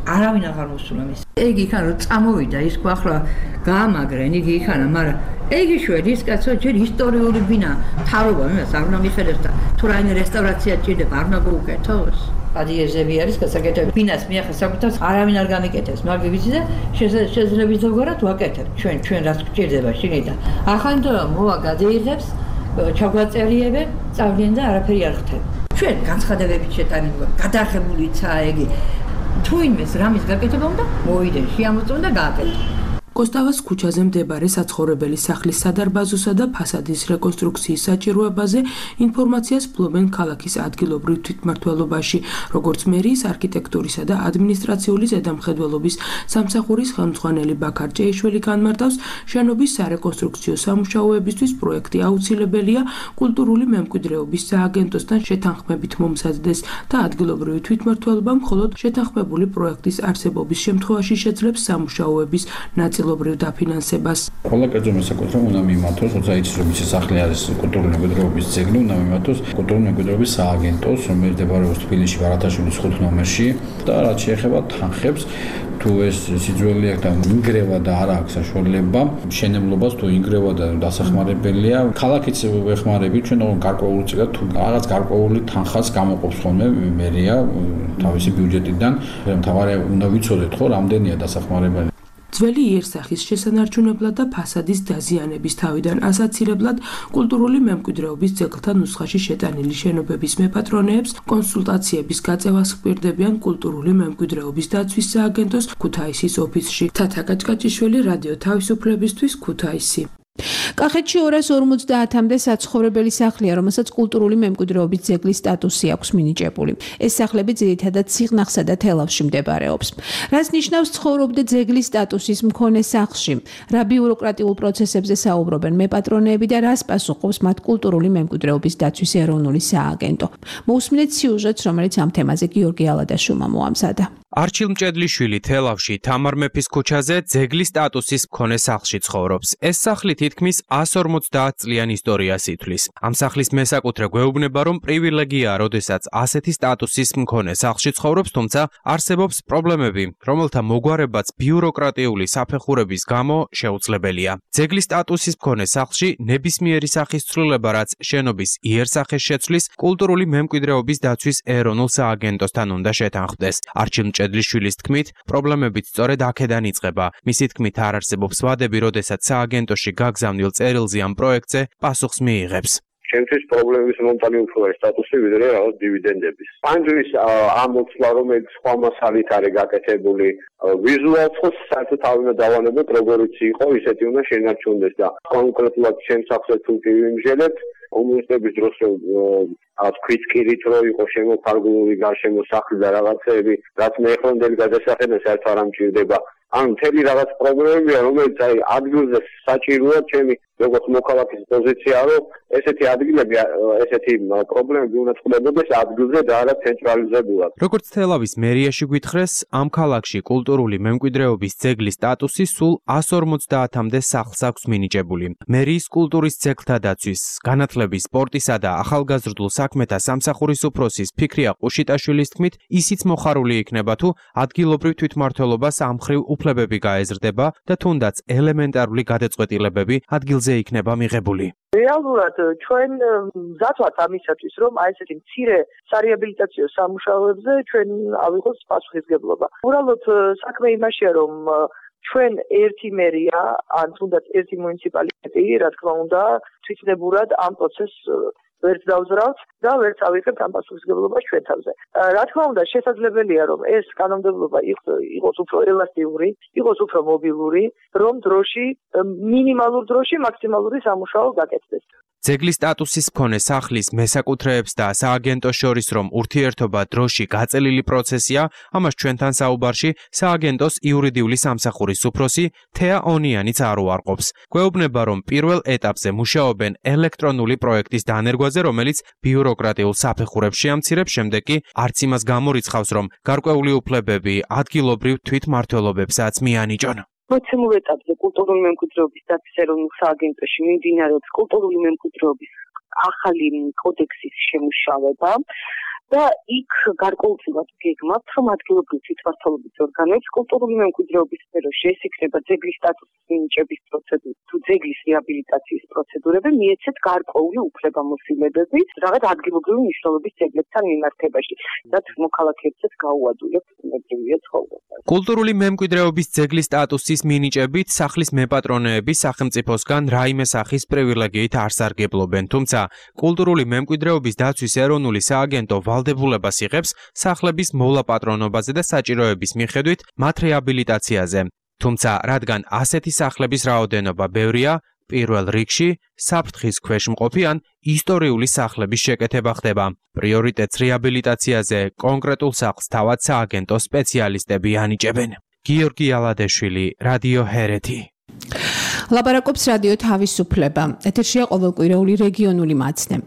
X: არავინ აღარ მოსულა მის. იგი იქან რომ წამოვიდა ის ხო ახლა გაამაგრენ იგი იქანა, მაგრამ იგი შვედი ის კაცო ჯერ ისტორიული ბინა თავობა იმას არ უნდა მიხედოს და თუ რაიმე რესტავრაცია ჭირდება არ უნდა გაუკეთოს. ადიეზები არის გასაკეთებელი. ბინას მიახეს საკუთავს არავინ არ გამიკეთებს, მაგრამ ვიცი და შესაძლებელი ზოგადად ვაკეთებ. ჩვენ ჩვენ რაც გჭირდება შინიდან. ახლა მოვა გადაიღებს, ჩაგვაწერიებენ, წავლიან და არაფერი არ ხდება. ჩვენ განცხადებებით შეტანილი გადაღებულიცაა იგი. თუ იმეს რამის გაკეთება უნდა მოიდენ შეამოწმონ და გააკეთო.
W: კოსტავას ქუჩაზე მდებარე საცხოვრებელი სახლის სადარბაზოსა და ფასადის რეკონსტრუქციის საჭიროებაზე ინფორმაციას ფლობენ ქალაქის ადგილობრივ თვითმმართველობაში, როგორც მერიის არქიტექტურისა და ადმინისტრაციული ზედამხედველობის სამსახურის ხელმძღვანელი ბაქარ ჭეიშვილი განმარტავს, შენობის სარეკონსტრუქციო სამუშაოებისთვის პროექტი აუცილებელია კულტურული მემკვიდრეობის სააგენტოსთან შეთანხმებით მომზადდეს და ადგილობრივი თვითმმართველობა მხოლოდ შეთანხმებული პროექტის არსებობის შემთხვევაში შეძლებს სამუშაოების ნაწილ ობრივ დაფინანსებას.
Y: ყველა კერძო მესაკუთრება უნდა მიმართოს, როცა იცის რომ ის სახლი არის კულტურული მემკვიდრეობის ძეგლი, უნდა მიმართოს კულტურული მემკვიდრეობის სააგენტოს, რომელიც მდებარეობს თბილისში ვარათაშვილის ხუთ ნომერში და რაც შეეხება თანხებს, თუ ეს სიძველი აქვს და ინგრევა და არ აქვს საშუალება, მშენებლობას თუ ინგრევა და დასახმარებელია, ქალაქიც ვეხმარებით, ჩვენ გარკვეული წიგა თუ რაღაც გარკვეული თანხას გამოყოფს ხოლმე მერია თავისი ბიუჯეტიდან, მთავარი უნდა ვიცოდეთ ხო, რამდენია დასახმარებელი.
W: ძველი იერსახის შესანარჩუნებლად და ფასადის დაზიანების თავიდან ასაცილებლად კულტურული მემკვიდრეობის ძეგლთა ნუსხაში შეტანილი შენობების მეპატრონეებს კონსულტაციების გაწევას ჰპირდებიან კულტურული მემკვიდრეობის დაცვის სააგენტოს ქუთაისის ოფისში. თათა კაჭკაჭიშვილი, რადიო თავისუფლებისთვის, ქუთაისი.
G: კახეთში ორას ორმოცდაათამდე საცხოვრებელი სახლია, რომელსაც კულტურული მემკვიდრეობის ძეგლის სტატუსი აქვს მინიჭებული. ეს სახლები ძირითადად სიღნაღსა და თელავში მდებარეობს. რაც ნიშნავს ცხოვრობდე ძეგლის სტატუსის მქონე სახლში, რა ბიუროკრატიულ პროცესებზე საუბრობენ მეპატრონეები და რას პასუხობს მათ კულტურული მემკვიდრეობის დაცვის ეროვნული სააგენტო. მოусმინეთ სიუჟეტს, რომელიც ამ თემაზე გიორგი ალადაშვილმა მოამზადა.
B: არჩილ მჭედლიშვილი თელავში თამარ მეფის ქუჩაზე ძეგლის სტატუსის მქონე სახლში ცხოვრობს. ეს სახლი თითქმის one forty წლიან ისტორიას ითვლის. ამ სახლის მესაკუთრე გვეუბნება, რომ პრივილეგიაა, როდესაც ასეთი სტატუსის მქონე სახლში ცხოვრობს, თუმცა არსებობს პრობლემები, რომელთა მოგვარებაც ბიუროკრატიული საფეხურების გამო შეუძლებელია. ძეგლის სტატუსის მქონე სახლში ნებისმიერი სახის ცვლილება, რაც შენობის იერსახეს შეცვლის, კულტურული მემკვიდრეობის დაცვის ეროვნულ სააგენტოსთან უნდა შეთანხმდეს. არჩილ მჭედლიშვილის თქმით, პრობლემებიც სწორედ აქედან იწყება. მისი თქმით, არ არსებობს ვადები, როდესაც სააგენტოში გაგზავნილ წერილზე ამ პროექტზე პასუხს მიიღებს.
O: ჩემთვის პრობლემის მომტანი უფრო არის სტატუსი, ვიდრე რაღაც დივიდენდების. პანჯრის ამ მოცლა, რომელიც სხვა მასალით არის გაკეთებული, ვიზუალს ხო საერთოდ თავი დავანებოთ, როგორიც იყო, ისეთი უნდა შენარჩუნდეს და კონკრეტულად ჩემს სახლს თუ ვიმჟელებ, კომუნისტების დროს რაღაც ქვიტკირით რო იყო შემოფარგლული გარშემო სახლი და რაღაცეები, რაც მეხრონდელი გადასახედა საერთოდ არ ამჭირდება. ან მთელი რაღაც პრობლემებია, რომელიც აი ადგილზე საჭიროა ჩემი როგორც მოქალაქის პოზიცია, რომ ესეთი ადგილები, ესეთი პრობლემები უნდა წყდებოდეს ადგილზე და არა ცენტრალიზებულად.
B: როგორც თელავის მერიაში გვითხრეს, ამ ქალაქში კულტურული მემკვიდრეობის ძეგლის სტატუსი სულ one forty-მდე სახლს აქვს მინიჭებული. მერიის კულტურის ძეგლთა დაცვის, განათლების, სპორტისა და ახალგაზრდულ საქმეთა სამსახურის უფროსის ფიქრია ყუშიტაშვილის თქმით, ისიც მოხარული იქნება თუ ადგილობრივ თვითმმართველობას ამ მხრივ უფლებები გაეზრდება და თუნდაც ელემენტარული გადაწყვეტილებები ადგილზე იქნება მიღებული.
F: რეალურად ჩვენ მზად ვართ ამისათვის, რომ აი ესეთი მცირე სარეაბილიტაციო სამუშაოებზე ჩვენ ავიღოთ პასუხისგებლობა. უბრალოდ საქმე იმაშია, რომ ჩვენ ერთი მერია, ან თუნდაც ერთი მუნიციპალიტეტი, რა თქმა უნდა, თვითნებურად ამ პროცესს ვერც დავზრავთ და ვერც ავიღებთ ამ პასუხისგებლობას ჩვენ თავზე. რა თქმა უნდა, შესაძლებელია, რომ ეს კანონმდებლობა იყოს უფრო ელასტიური, იყოს უფრო მობილური, რომ დროში, მინიმალურ დროში მაქსიმალური სამუშაო გაკეთდეს.
B: ძეგლის სტატუსის მქონე სახლის მესაკუთრეებს და სააგენტოს შორის რომ ურთიერთობა დროში გაწელილი პროცესია, ამას ჩვენთან საუბარში სააგენტოს იურიდიული სამსახურის უფროსი თეა ონიანიც არ უარყოფს. გვეუბნება, რომ პირველ ეტაპზე მუშაობენ ელექტრონული პროექტის დანერგვაზე, რომელიც ბიუროკრატიულ საფეხურებს შეამცირებს, შემდეგ კი არც იმას გამორიცხავს, რომ გარკვეული უფლებები ადგილობრივ თვითმმართველობებსაც მიანიჭონ.
H: მოცემულ ეტაპზე კულტურული მემკვიდრეობის დაცვის ეროვნულ სააგენტოში მიმდინარეობს კულტურული მემკვიდრეობის ახალი კოდექსის შემუშავება და იქ გარკვეულწილად გეგმავთ, რომ ადგილობრივი თვითმმართველობის ორგანოებს კულტურული მემკვიდრეობის სფეროში ეს იქნება ძეგლის სტატუსის მინიჭების პროცედურა თუ ძეგლის რეაბილიტაციის პროცედურები მიეცეთ გარკვეული უფლებამოსილებები რაღაც ადგილობრივი მნიშვნელობის ძეგლებთან მიმართებაში, რაც მოქალაქეებსაც გაუადვილებს მემკვიდრეობის ცხოვრებას.
B: კულტურული მემკვიდრეობის ძეგლის სტატუსის მინიჭებით სახლის მეპატრონეები სახელმწიფოსგან რაიმე სახის პრივილეგიით არ სარგებლობენ, თუმცა კულტურული მემკვიდრეობის დაცვის ეროვნული სააგენტო ვალდებულებას იღებს სახლების მოვლა-პატრონობაზე და საჭიროების მიხედვით მათ რეაბილიტაციაზე. თუმცა, რადგან ასეთი სახლების რაოდენობა ბევრია, პირველ რიგში საფრთხის ქვეშ მყოფი ან ისტორიული სახლების შეკეთება ხდება. პრიორიტეტს რეაბილიტაციაზე კონკრეტულ სახლს თავად სააგენტო სპეციალისტები ანიჭებენ. გიორგი ალადეშვილი, რადიო ჰერეთი.
G: ლაპარაკობს რადიო თავისუფლება. ეთერშია ყოველკვირეული რეგიონული მაცნე.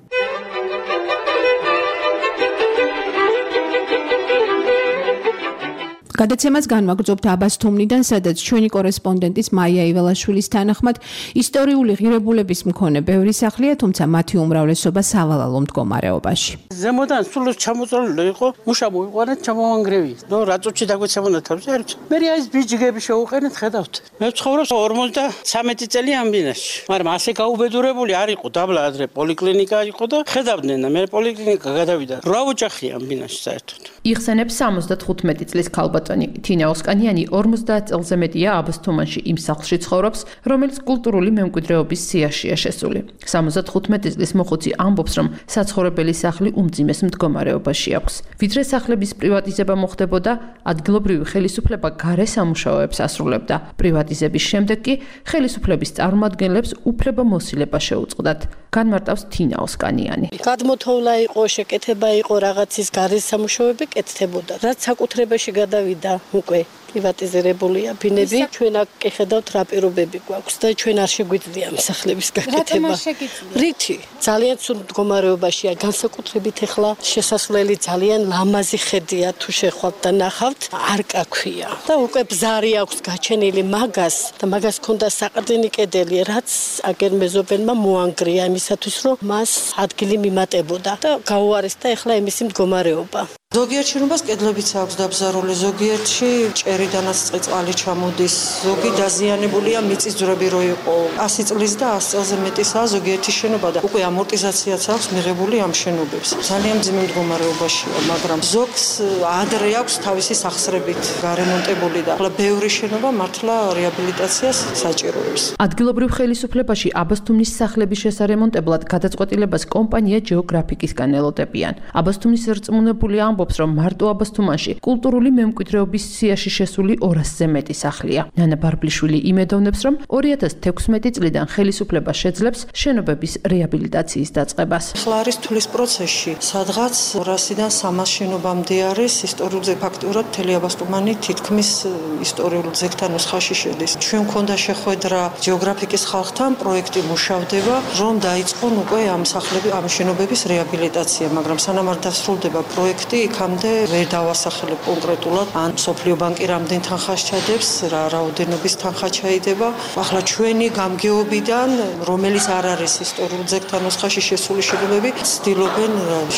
G: გადაცემას განვაგრძობთ აბასთუმნიდან, სადაც ჩვენი კორესპონდენტის მაია იველაშვილის თანახმად ისტორიული ღირებულების მქონე ბევრი სახლია, თუმცა მათი უმრავლესობა სავალალო მდგომარეობაში.
J: ზემოდან სულ ჩამოწოლილი იყო, მუშა მოიყვანეთ, ჩამოვანგრევი. ნუ რა წუთში დაგვეცემოდა თავზე ერთ. მე ის ბიჯგები შევუყენეთ, ხედავთ. მე ვცხოვრობ ორმოცდამეტი წელი ამ ბინაში. მაგრამ ასე გაუბედურებული არ იყო, დაბლა ადრე პოლიკლინიკა იყო და ხედავდნენ და მე პოლიკლინიკა გადავიდა. რა ოჯახი ამ ბინაში საერთოდ.
K: იხსენებს სამოცდათხუთმეტი წლის ქალბატონი თინა ოსკანიანი ორმოცდაათ წელზე მეტია აბასთუმანში იმ სახლში ცხოვრობს, რომელიც კულტურული მემკვიდრეობის სიაშია შესული. სამოცდათხუთმეტი წლის მოხუცი ამბობს, რომ საცხოვრებელი სახლი უმძიმეს მდგომარეობაში აქვს. ვიდრე სახლების პრივატიზება მოხდებოდა, ადგილობრივი ხელისუფლება გარე სამუშაოებს ასრულებდა. პრივატიზების შემდეგ კი ხელისუფლების წარმომადგენლებს უფლებამოსილება შეუწყდათ. განმარტავს თინა ოსკანიანი.
Z: გადმოთოვლა იყო, შეკეთება იყო, რაღაცის გარე სამუშაოები კეთდებოდა. რაც საკუთრებაში გადავიდა უკვე
C: პრივატიზირებულია ბინები. ჩვენ აქ ხედავთ რა პირობები გვაქვს და ჩვენ არ შეგვიძლია მსახლების გაკეთება. რითი? ძალიან სულ მდგომარეობაშია, განსაკუთრებით ახლა შესასვლელი ძალიან ლამაზი ხედია, თუ შეხვალთ და ნახავთ, არკა ქვია. და უკვე ბზარი აქვს გაჩენილი მაგას და მაგას ქონდა საყრდენი კედელი, რაც აგერ მეზობელმა მოანგრია იმისათვის, რომ მას ადგილი მიმატებოდა და გაუარესდა ახლა იმისი მდგომარეობა.
U: ზოგიერთ შენობას კედლებიც აქვს დაბზარული, ზოგიერთში ჭერიდანაც წყალი ჩამოდის, ზოგი დაზიანებულია, მიწის ძვრები რო იყო ასი წლის და ასი წელზე მეტისაა ზოგიერთი შენობა და უკვე ამორტიზაციაც აქვს მიღებული ამ შენობებს. ძალიან მძიმე მდგომარეობაშია, მაგრამ ზოგს ადრე აქვს თავისი სახსრებით გარემონტებული და ახლა ბევრი შენობა მართლა რეაბილიტაციას საჭიროებს.
K: ადგილობრივ ხელისუფლებაში აბასთუმნის სახლების შესარემონტებლად გადაწყვეტილებას კომპანია ჯეოგრაფიკისგან ელოდებიან. აბასთუმნის რწმუნებული ამბობს, რომ მარტო აბასთუმანში კულტურული მემკვიდრეობის სიაში შესული ორასზე მეტი სახლია. ნანა ბარბლიშვილი იმედოვნებს, რომ ორი ათას თექვსმეტი წლიდან ხელისუფლება შეძლებს შენობების რეაბილიტაციის დაწყებას.
U: ახლა არის თulis პროცესში, სადღაც ორასიდან სამას შენობამდე არის ისტორიულ ფაქტურად მთელი აბასთუმანი თითქმის ისტორიულ ძეგლთან ნუსხაში შედის. ჩვენ მქონდა შეხვედრა ჯეოგრაფიკის ხალხთან, პროექტი მუშავდება, რომ დაიწყონ უკვე ამ სახლების, ამ შენობების რეაბილიტაცია, მაგრამ სანამ არ დასრულდება პროექტი, იქამდე ვერ დავასახელებ კონკრეტულად, ან სოფლიო ბანკი რამდენ თანხას ჩადებს, რა რაოდენობის თანხა ჩაიდება. ახლა ჩვენი გამგეობიდან, რომელიც არ არის ისტორიულ ძეგლთან ნუსხაში შესული შენობები, ცდილობენ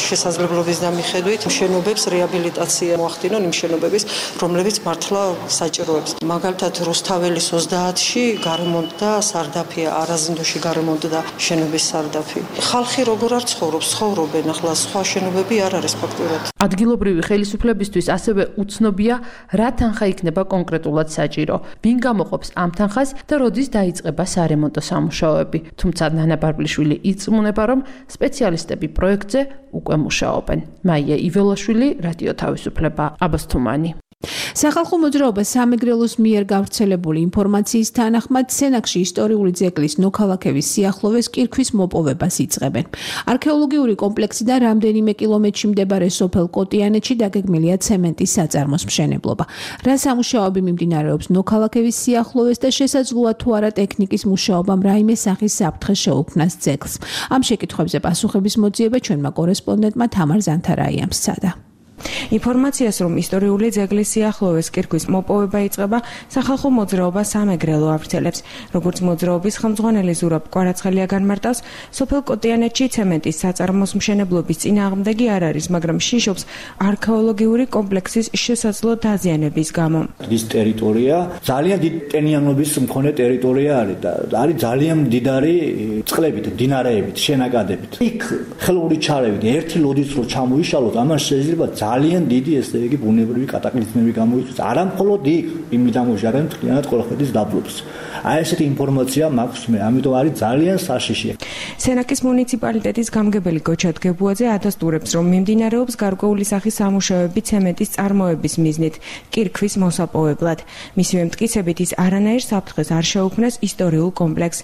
U: შესაძლებლობის დამიხედვით შენობებს რეაბილიტაცია მოახდინონ იმ შენობების, რომლებიც მართლა საჭიროებს. მაგალითად, რუსთაველის ოცდაათში გარემონტდა სარდაფია, არაზინდოში გარემონტდა შენობის სარდაფი. ხალხი როგორ არ ცხოვრობს, ცხოვრობენ, ახლა სხვა შენობები არ არის ფაქტურად.
K: ადგილობრივი ხელისუფლებისთვის ასევე უცნობია, რა თანხა იქნება კონკრეტულად საჭირო, ვინ გამოყოფს ამ თანხას და როდის დაიწყება სარემონტო სამუშაოები. თუმცა ნანა ბარბლიშვილი ირწმუნება, რომ სპეციალისტები პროექტზე უკვე მუშაობენ. მაია იველაშვილი, რადიო თავისუფლება, აბასთუმანი.
G: სახალხო მოძრაობა სამეგრელოს მიერ გავრცელებული ინფორმაციის თანახმად სენაკში ისტორიული ძეგლის ნოქალაქევის სიახლოვეს კირქვის მოპოვებას იწყებენ. არქეოლოგიური კომპლექსიდან რამდენიმე კილომეტრში მდებარე სოფელ კოტიანეთში დაგეგმილია ცემენტის საწარმოს მშენებლობა. რა სამუშაოები მიმდინარეობს ნოქალაქევის სიახლოვეს და შესაძლოა თუ არა ტექნიკის მუშაობამ რაიმე სახის საფრთხე შეუქმნას ძეგლს. ამ შეკითხვებზე პასუხების მოძიება ჩვენმა კორესპონდენტმა თამარ ზანთარაიამ სცადა.
W: ინფორმაციას, რომ ისტორიული ძეგლის სიახლოვეს კირქვის მოპოვება იწყება, სახალხო მოძრაობა სამეგრელო ავრცელებს. როგორც მოძრაობის ხელმძღვანელი ზურაბ კვარაცხელია განმარტავს, სოფელ კოტიანეთში ცემენტის საწარმოს მშენებლობის წინააღმდეგი არ არის, მაგრამ შიშობს არქეოლოგიური კომპლექსის შესაძლო დაზიანების გამო.
L: ის ტერიტორია ძალიან დიდი ტენიანობის მქონე ტერიტორია არის და არის ძალიან მდიდარი წყლებით, მდინარეებით, შენაკადებით. იქ ხელოვნური ჩარევით ერთი ლოდიც რო ჩამოიშალოთ, ამან შეიძლება ძალიან დიდი ესე იგი ბუნებრივი კატაკლიზმები გამოიწვიოს. არა მხოლოდ იქ, იმიდან მოჟარენ მთლიანად ყოლხეთის დაბლობს. აი ესეთი ინფორმაცია მაქვს მე, ამიტომ არის ძალიან საშიში.
W: სენაკის მუნიციპალიტეტის გამგებელი გოჩა დგებუაძე ადასტურებს, რომ მიმდინარეობს გარკვეული სახის სამუშაოები ცემენტის წარმოების მიზნით კირქვის მოსაპოვებლად. მისივე მტკიცებით ის არანაირ საფრთხეს არ შეუქმნას ისტორიულ კომპლექსს.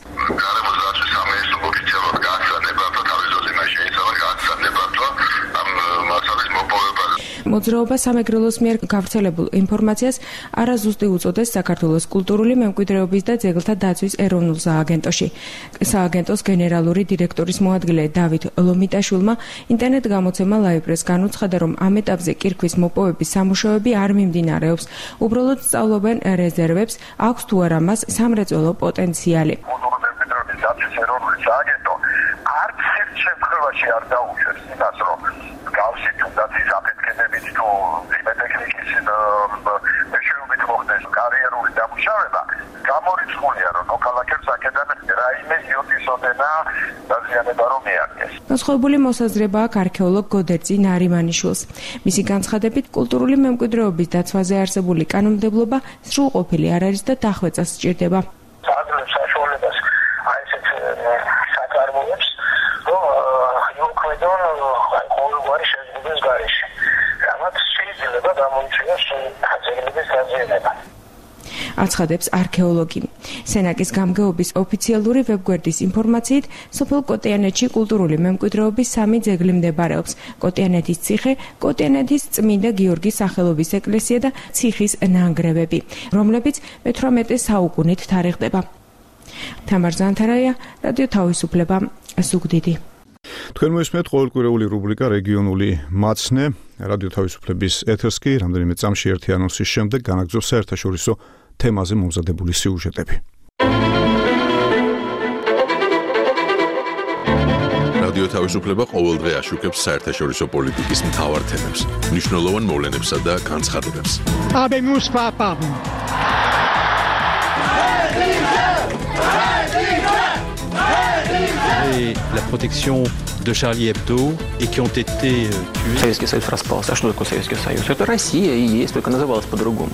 W: მოძრაობა სამეგრელოს მიერ გავრცელებულ ინფორმაციას არაზუსტი უწოდეს საქართველოს კულტურული მემკვიდრეობის და ძეგლთა დაცვის ეროვნულ სააგენტოში. სააგენტოს გენერალური დირექტორის მოადგილე დავით ლომიტაშვილმა ინტერნეტ გამოცემა ლაიბრეს განუცხადა, რომ ამ ეტაპზე კირქვის მოპოვების სამუშაოები არ მიმდინარეობს. უბრალოდ სწავლობენ რეზერვებს, აქვს თუ არა მას სამრეწველო პოტენციალი.
M: დაცვის ეროვნული სააგენტო არც ერთ შემთხვევაში არ დაუშვებს იმას, რომ გავსი თუნდაც ის აფეთქებებით თუ იმედტექნიკის მეშვეობით მოხდეს კარიერული დამუშავება, გამორიცხულია, რომ ნოქალაქებს აქედან რაიმე იოტის ოდენა დაზიანება რომ მიადგეს.
W: განსხვავებული მოსაზრება აქვს არქეოლოგ გოდერძი ნარიმანიშვილს. მისი განცხადებით, კულტურული მემკვიდრეობის დაცვაზე არსებული კანონმდებლობა სრულყოფილი არ არის და დახვეწას სჭირდება.
M: საადრებს საშუალებას აი ესეთ საკარმოებს, რომ იუქმედონ აი ყოველგვარი შეზღუდვის გარეშე. რამაც შეიძლება გამოიწვიოს ძეგლების დაზიანება.
N: აცხადებს არქეოლოგი. სენაკის გამგეობის ოფიციალური ვებგვერდის ინფორმაციით, სოფელ კოტიანეთში კულტურული მემკვიდრეობის სამი ძეგლი მდებარეობს: კოტიანეთის ციხე, კოტიანეთის წმინდა გიორგის სახელობის ეკლესია და ციხის ნანგრევები, რომლებიც მეთვრამეტე საუკუნით თარიღდება. თამარ ზანთარაია, რადიო თავისუფლება, ზუგდიდი.
A: თქვენ მოისმენთ ყოველკვირეული რუბრიკა რეგიონული მაცნე. რადიო თავისუფლების ეთერს კი რამდენიმე წამში ერთი ანონსის შემდეგ განაგრძობს საერთაშორისო თემაზე მომზადებული სიუჟეტები.
I: რადიო თავისუფლება ყოველდღე აშუქებს საერთაშორისო პოლიტიკის მთავარ თემებს, მნიშვნელოვან მოვლენებსა და განცხადებებს.
P: Habemus papam.
Q: Et la protection de Charlie Hebdo et qui ont été tués.
R: Советский Союз распался. А что такое Советский Союз? Это Россия и есть, только называлась по-другому.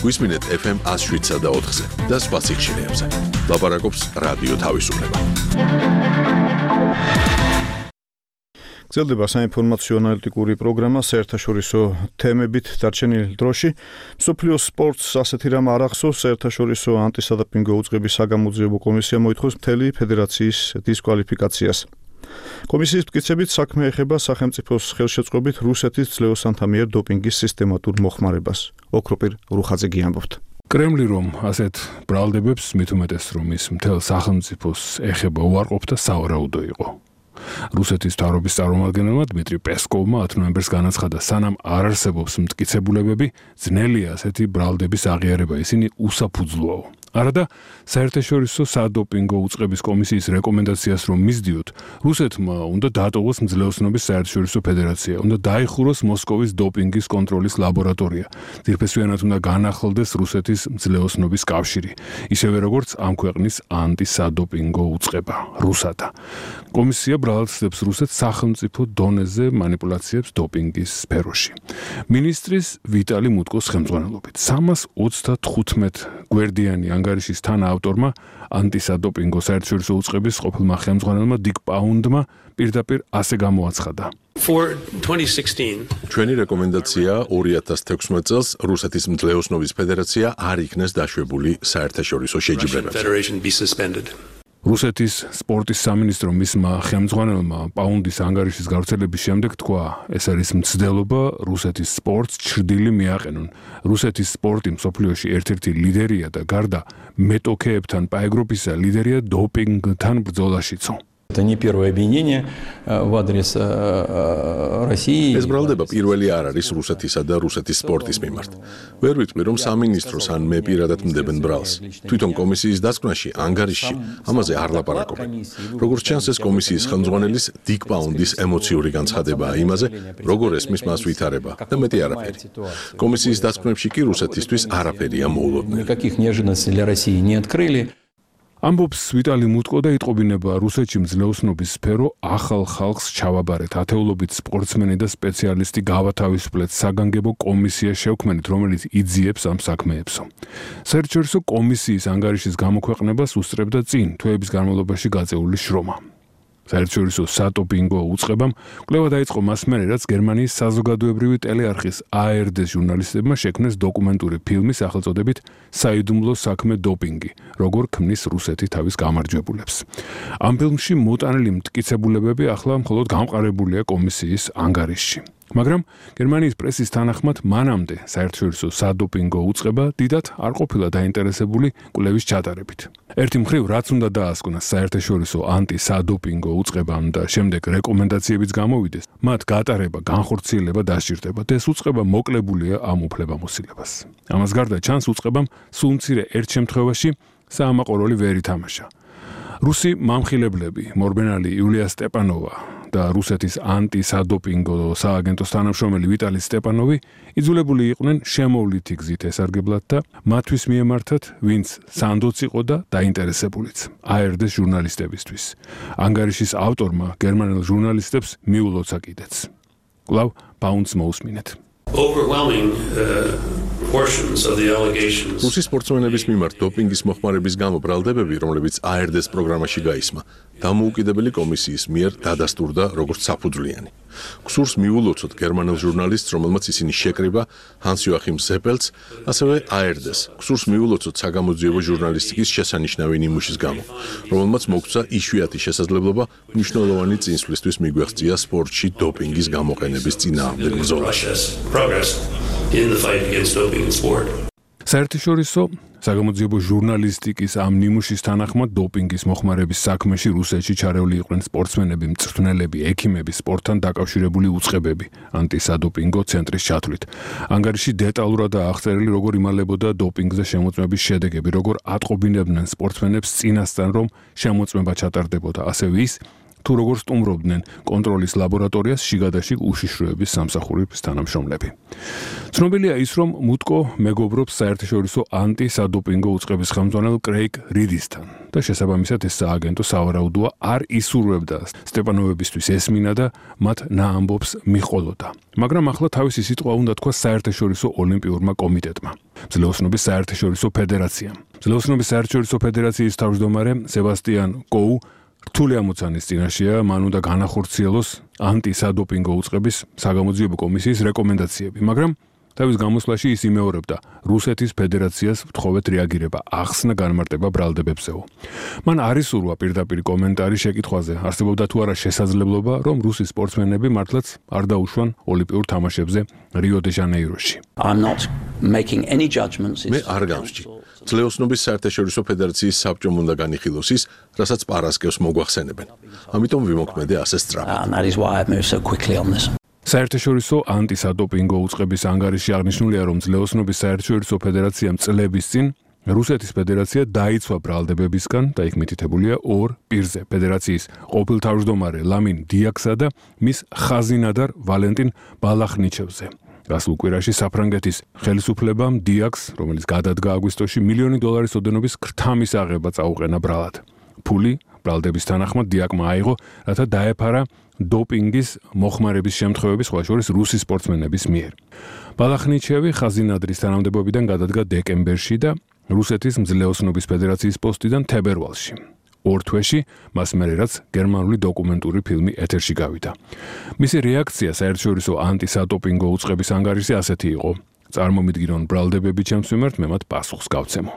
I: Висминет эф эм one oh seven და ოთხზე და სხვა სიხშირეებზე. ლაპარაკობს რადიო თავისუფლება.
A: გრძელდება საინფორმაციო ანალიტიკური პროგრამა საერთაშორისო თემებით დარჩენილ დროში. მსოფლიო სპორტს ასეთი რამ არ ახსოვს. საერთაშორისო ანტისადოპინგო უწყების საგამოძიებო კომისია მოითხოვს მთელი ფედერაციის დისკვალიფიკაციას. კომისიის მტკიცებით საქმე ეხება სახელმწიფოს ხელშეწყობით რუსეთის ძლევოსანთა მიერ დოპინგის სისტემატურ მოხმარებას. ოქროპირ რუხაძე გიამბობთ.
T: კრემლი რომ ასეთ ბრალდებებს მით უმეტეს რომ ის მთელ სახელმწიფოს ეხება უარყოფდა სავარაუდო იყო. რუსეთის მთავრობის წარმომადგენელმა დმიტრი პესკოვმა ათი ნოემბერს განაცხადა, სანამ არ არსებობს მტკიცებულებები, ძნელია ასეთი ბრალდების აღიარება, ისინი უსაფუძვლოა. არადა საერთაშორისო სადოპინგო უწყების კომისიის რეკომენდაციას რომ მისდიოთ, რუსეთმა უნდა დატოვოს მძლეოსნობის საერთაშორისო ფედერაცია, უნდა დაიხუროს მოსკოვის დოპინგის კონტროლის ლაბორატორია, ძირფესვიანად უნდა განახლდეს რუსეთის მძლეოსნობის კავშირი, ისევე როგორც ამ ქვეყნის ანტისადოპინგო უწყება, რუსადა. კომისია ბრალდებს რუსეთს სახელმწიფო დონეზე манипуляციებს დოპინგის სფეროში. მინისტრის ვიტალი მუტკოს ხელმძღვანელობით სამას ოცდათხუთმეტ გვერდიანი ანგარიშის თანაავტორმა ანტისადოპინგო საერთაშორისო უწყების ყოფილმა ხელმძღვანელმა დიკ პაუნდმა პირდაპირ ასე გამოაცხადა.
I: ჩვენი რეკომენდაცია ორი ათას თექვსმეტ წელს რუსეთის მძლეოსნობის ფედერაცია არ იქნეს დაშვებული საერთაშორისო შეჯიბრებებზე.
T: რუსეთის სპორტის სამინისტრო მისმა ხელმძღვანელმა პაუნდის ანგარიშის გავრცელების შემდეგ თქვა, ეს არის მცდელობა რუსეთის სპორტს ჩრდილი მიაყენონ. რუსეთის სპორტი მსოფლიოში ერთ-ერთი ლიდერია და გარდა მეტოქეებთან პაეგროპისა ლიდერია დოპინგთან ბრძოლაშიცო.
Q: Это не первое обвинение в адрес России.
I: ეს ბრალდება პირველი არ არის რუსეთისა და რუსეთის სპორტის მიმართ. ვერ ვიტყვი რომ სამინისტროს ან მე პირადად მდებენ ბრალს. თვითონ კომისიის დასკვნაში ანგარიშში ამაზე არ ლაპარაკობენ. როგორც ჩანს ეს კომისიის ხელმძღვანელის დიკ პაუნდის ემოციური განცხადებაა იმაზე, როგორ ესმის მას ვითარება და მეტი არაფერი. კომისიის დასკვნებში კი რუსეთისთვის არაფერია მოულოდნელი.
Q: Никаких неожиданностей для России не открыли.
T: ამბობს ვიტალი მუტკო და იტყობინება რუსეთში მძლეოსნობის სფერო ახალ ხალხს ჩავაბარეთ. ათეულობით სპორტსმენი და სპეციალისტი გავათავისუფლეთ საგანგებო კომისია შევქმნით, რომელიც იძიებს ამ საქმეებსო. საერთაშორისო კომისიის ანგარიშის გამოქვეყნებას უსწრებდა წინ თვეების განმავლობაში გაწეული შრომა. საერთაშორისო სადოპინგო უწყებამ კვლევა დაიწყო მას მერე, რაც გერმანიის საზოგადოებრივი ტელეარხის A R D ჟურნალისტებმა შექმნეს დოკუმენტური ფილმი სახელწოდებით საიდუმლო საქმე დოპინგი, როგორ ქმნის რუსეთი თავის გამარჯვებულებს. ამ ფილმში მოტანილი მტკიცებულებები ახლა მხოლოდ გამყარებულია კომისიის ანგარიშში. მაგრამ გერმანიის პრესის თანახმად მანამდე საერთაშორისო სადოპინგო უწყება დიდად არ ყოფილა დაინტერესებული კვლევის ჩატარებით. ერთი მხრივ რაც უნდა დაასკვნას საერთაშორისო ანტისადოპინგო უწყებამ და შემდეგ რეკომენდაციებიც გამოვიდეს, მათ გატარება, განხორციელება დასჭირდება და ეს უწყება მოკლებულია ამ უფლებამოსილებას. ამას გარდა ჩანს უწყებამ სულ მცირე ერთ შემთხვევაში საამაყო როლი ვერ ითამაშა. რუსი მამხილებლები მორბენალი იულია სტეპანოვა და რუსეთის ანტისადოპინგო სააგენტოს თანამშრომელი ვიტალი სტეპანოვი იძულებული იყვნენ შემოვლითი გზით ესარგებლად და მათთვის მიემართათ, ვინც სანდოც იყო და დაინტერესებულიც A R D ჟურნალისტებისთვის. ანგარიშის ავტორმა გერმანელ ჟურნალისტებს მიულოცა კიდეც. კვლავ პაუნდს მოусმინეთ.
Z: Overwhelming uh,
D: proportions of the allegations.
I: რუსის სპორტსმენების მიმართ დოპინგის მოხმარების გამო ბრალდებები, რომლებიც A R D-ს პროგრამაში გაისმა, დამოუკიდებელი კომისიის მიერ დადასტურდა როგორც საფუძვლიანი. ქსურს მიულოცოთ გერმანელ ჟურნალისტს, რომელმაც ისინი შეკრიბა ჰანს-იოახიმ ზეპელს, ასევე A R D-ს. ქსურს მიულოცოთ საგამოძიებო ჟურნალისტიკის შესანიშნავი ნიმუშის გამო, რომელმაც მოგცა იშვიათი შესაძლებლობა მნიშვნელოვანი წინსვლისთვის მიგვეღწია სპორტში დოპინგის გამოყენების წინააღმდეგ ბრძოლაში.
D: In the fight against doping in sport.
T: საერთაშორისო საგამოძიებო ჟურნალისტიკის ამ ნიმუშის თანახმად დოპინგის მოხმარების საქმეში რუსეთში ჩარეული იყვნენ სპორტსმენები, მწვრთნელები, ექიმები, სპორტთან დაკავშირებული უწყებები ანტისადოპინგო ცენტრის ჩათვლით. ანგარიში დეტალურადაა აღწერილი, როგორ იმალებოდა დოპინგზე შემოწმების შედეგები, როგორ ატყობინებდნენ სპორტსმენებს წინასწარ, რომ შემოწმება ჩატარდებოდა, ასევე ის თუ როგორ სტუმრობდნენ კონტროლის ლაბორატორიას შიგადაშიგ უშიშროების სამსახურის თანამშრომლები. ცნობილია ის, რომ მუტკო მეგობრობს საერთაშორისო ანტისადოპინგო უწყების ხელმძღვანელ კრეიგ რიდისთან და შესაბამისად ეს სააგენტო სავარაუდოა არ ისურვებდა სტეპანოვებისთვის ესმინა და მათ ნაამბობს მიჰყოლოდა. მაგრამ ახლა თავისი სიტყვა უნდა თქვა საერთაშორისო ოლიმპიურმა კომიტეტმა, ძლეოსნობის საერთაშორისო ფედერაციამ. ძლეოსნობის საერთაშორისო ფედერაციის თავმჯდომარე სებასტიან კოუ რთული ამოცანის წინაშეა, მან უნდა განახორციელოს ანტისადოპინგო უწყების საგამოძიებო კომისიის რეკომენდაციები, მაგრამ თავის გამოსვლაში ის იმეორებდა რუსეთის ფედერაციას ვთხოვეთ რეაგირება, ახსნა განმარტება ბრალდებებზეო. მან არ ისურვა პირდაპირ კომენტარი შეკითხვაზე, არსებობდა თუ არა შესაძლებლობა, რომ რუსის სპორტსმენები მართლაც არ დაუშვან ოლიმპიურ თამაშებზე რიო-დე-ჟანეიროში.
I: მე არ გამსჭი. ძლეოსნობის საერთაშორისო ფედერაციის საბჭომ უნდა განიხილოს ის, რასაც პარასკევს მოგვახსენებენ. ამიტომ ვიმოქმედე ასე სწრაფად.
T: საერთაშორისო ანტისადოპინგო უწყების ანგარიში აღნიშნულია, რომ ძლეოსნობის საერთაშორისო ფედერაციამ წლების წინ რუსეთის ფედერაცია დაიცვა ბრალდებებისგან და იქ მითითებულია ორ პირზე ფედერაციის ყოფილ თავმჯდომარე ლამინ დიაქსა და მის ხაზინადარ ვალენტინ ბალახნიჩევზე. გასულ კვირაში საფრანგეთის ხელისუფლებამ დიაქს, რომელიც გადადგა აგვისტოში, მილიონი დოლარის ოდენობის ქრთამის აღება წაუყენა ბრალად. ფული ბრალდების თანახმად დიაკმა აიღო, რათა დაეფარა დოპინგის მოხმარების შემთხვევები, სხვა შორის რუსის სპორტსმენების მიერ. ბალახნიჩევი ხაზინადრის თანამდებობიდან გადადგა დეკემბერში და რუსეთის მძლეოსნობის ფედერაციის პოსტიდან თებერვალში. ორ თვეში მას მერე რაც გერმანული დოკუმენტური ფილმი ეთერში გავიდა. მისი რეაქცია საერთაშორისო ანტისადოპინგო უწყების ანგარიშზე ასეთი იყო: წარმომიდგინონ ბრალდებები ჩემს მიმართ, მე მათ პასუხს გავცემო.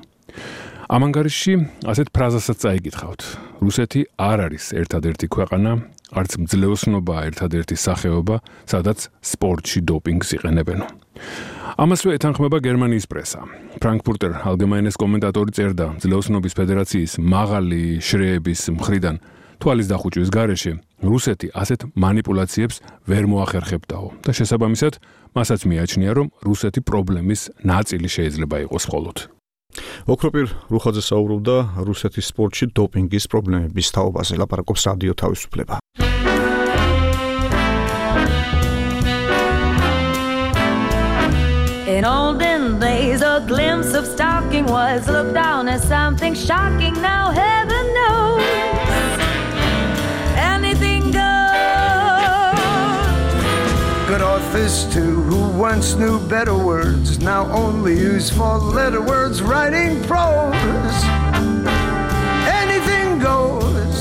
T: ამ ანგარიშში ასეთ ფრაზასაც წაიკითხავთ: რუსეთი არ არის ერთადერთი ქვეყანა, არც მძლეოსნობაა ერთადერთი სახეობა, სადაც სპორტში დოპინგს იყენებენო. ამასვე ეთანხმება გერმანიის პრესა. ფრანკფურტერ ალგემაინეს კომენტატორი წერდა, ძლეოსნობის ფედერაციის მაღალი შრეების მხრიდან თვალის დახუჭვის გარეშე რუსეთი ასეთ манипуляციებს ვერ მოახერხებდაო და შესაბამისად მასაც მიაჩნია, რომ რუსეთი პრობლემის ნაწილი შეიძლება იყოს მხოლოდ.
A: ოქროპირ რუხაძე საუბრობდა რუსეთის სპორტში დოპინგის პრობლემების თაობაზე, ლაპარაკობს რადიო თავისუფლება.
E: In olden days, a glimpse of stalking was looked down as something shocking. Now heaven knows anything goes.
P: Good authors too, who once knew better words, now only use four-letter words writing prose. Anything goes.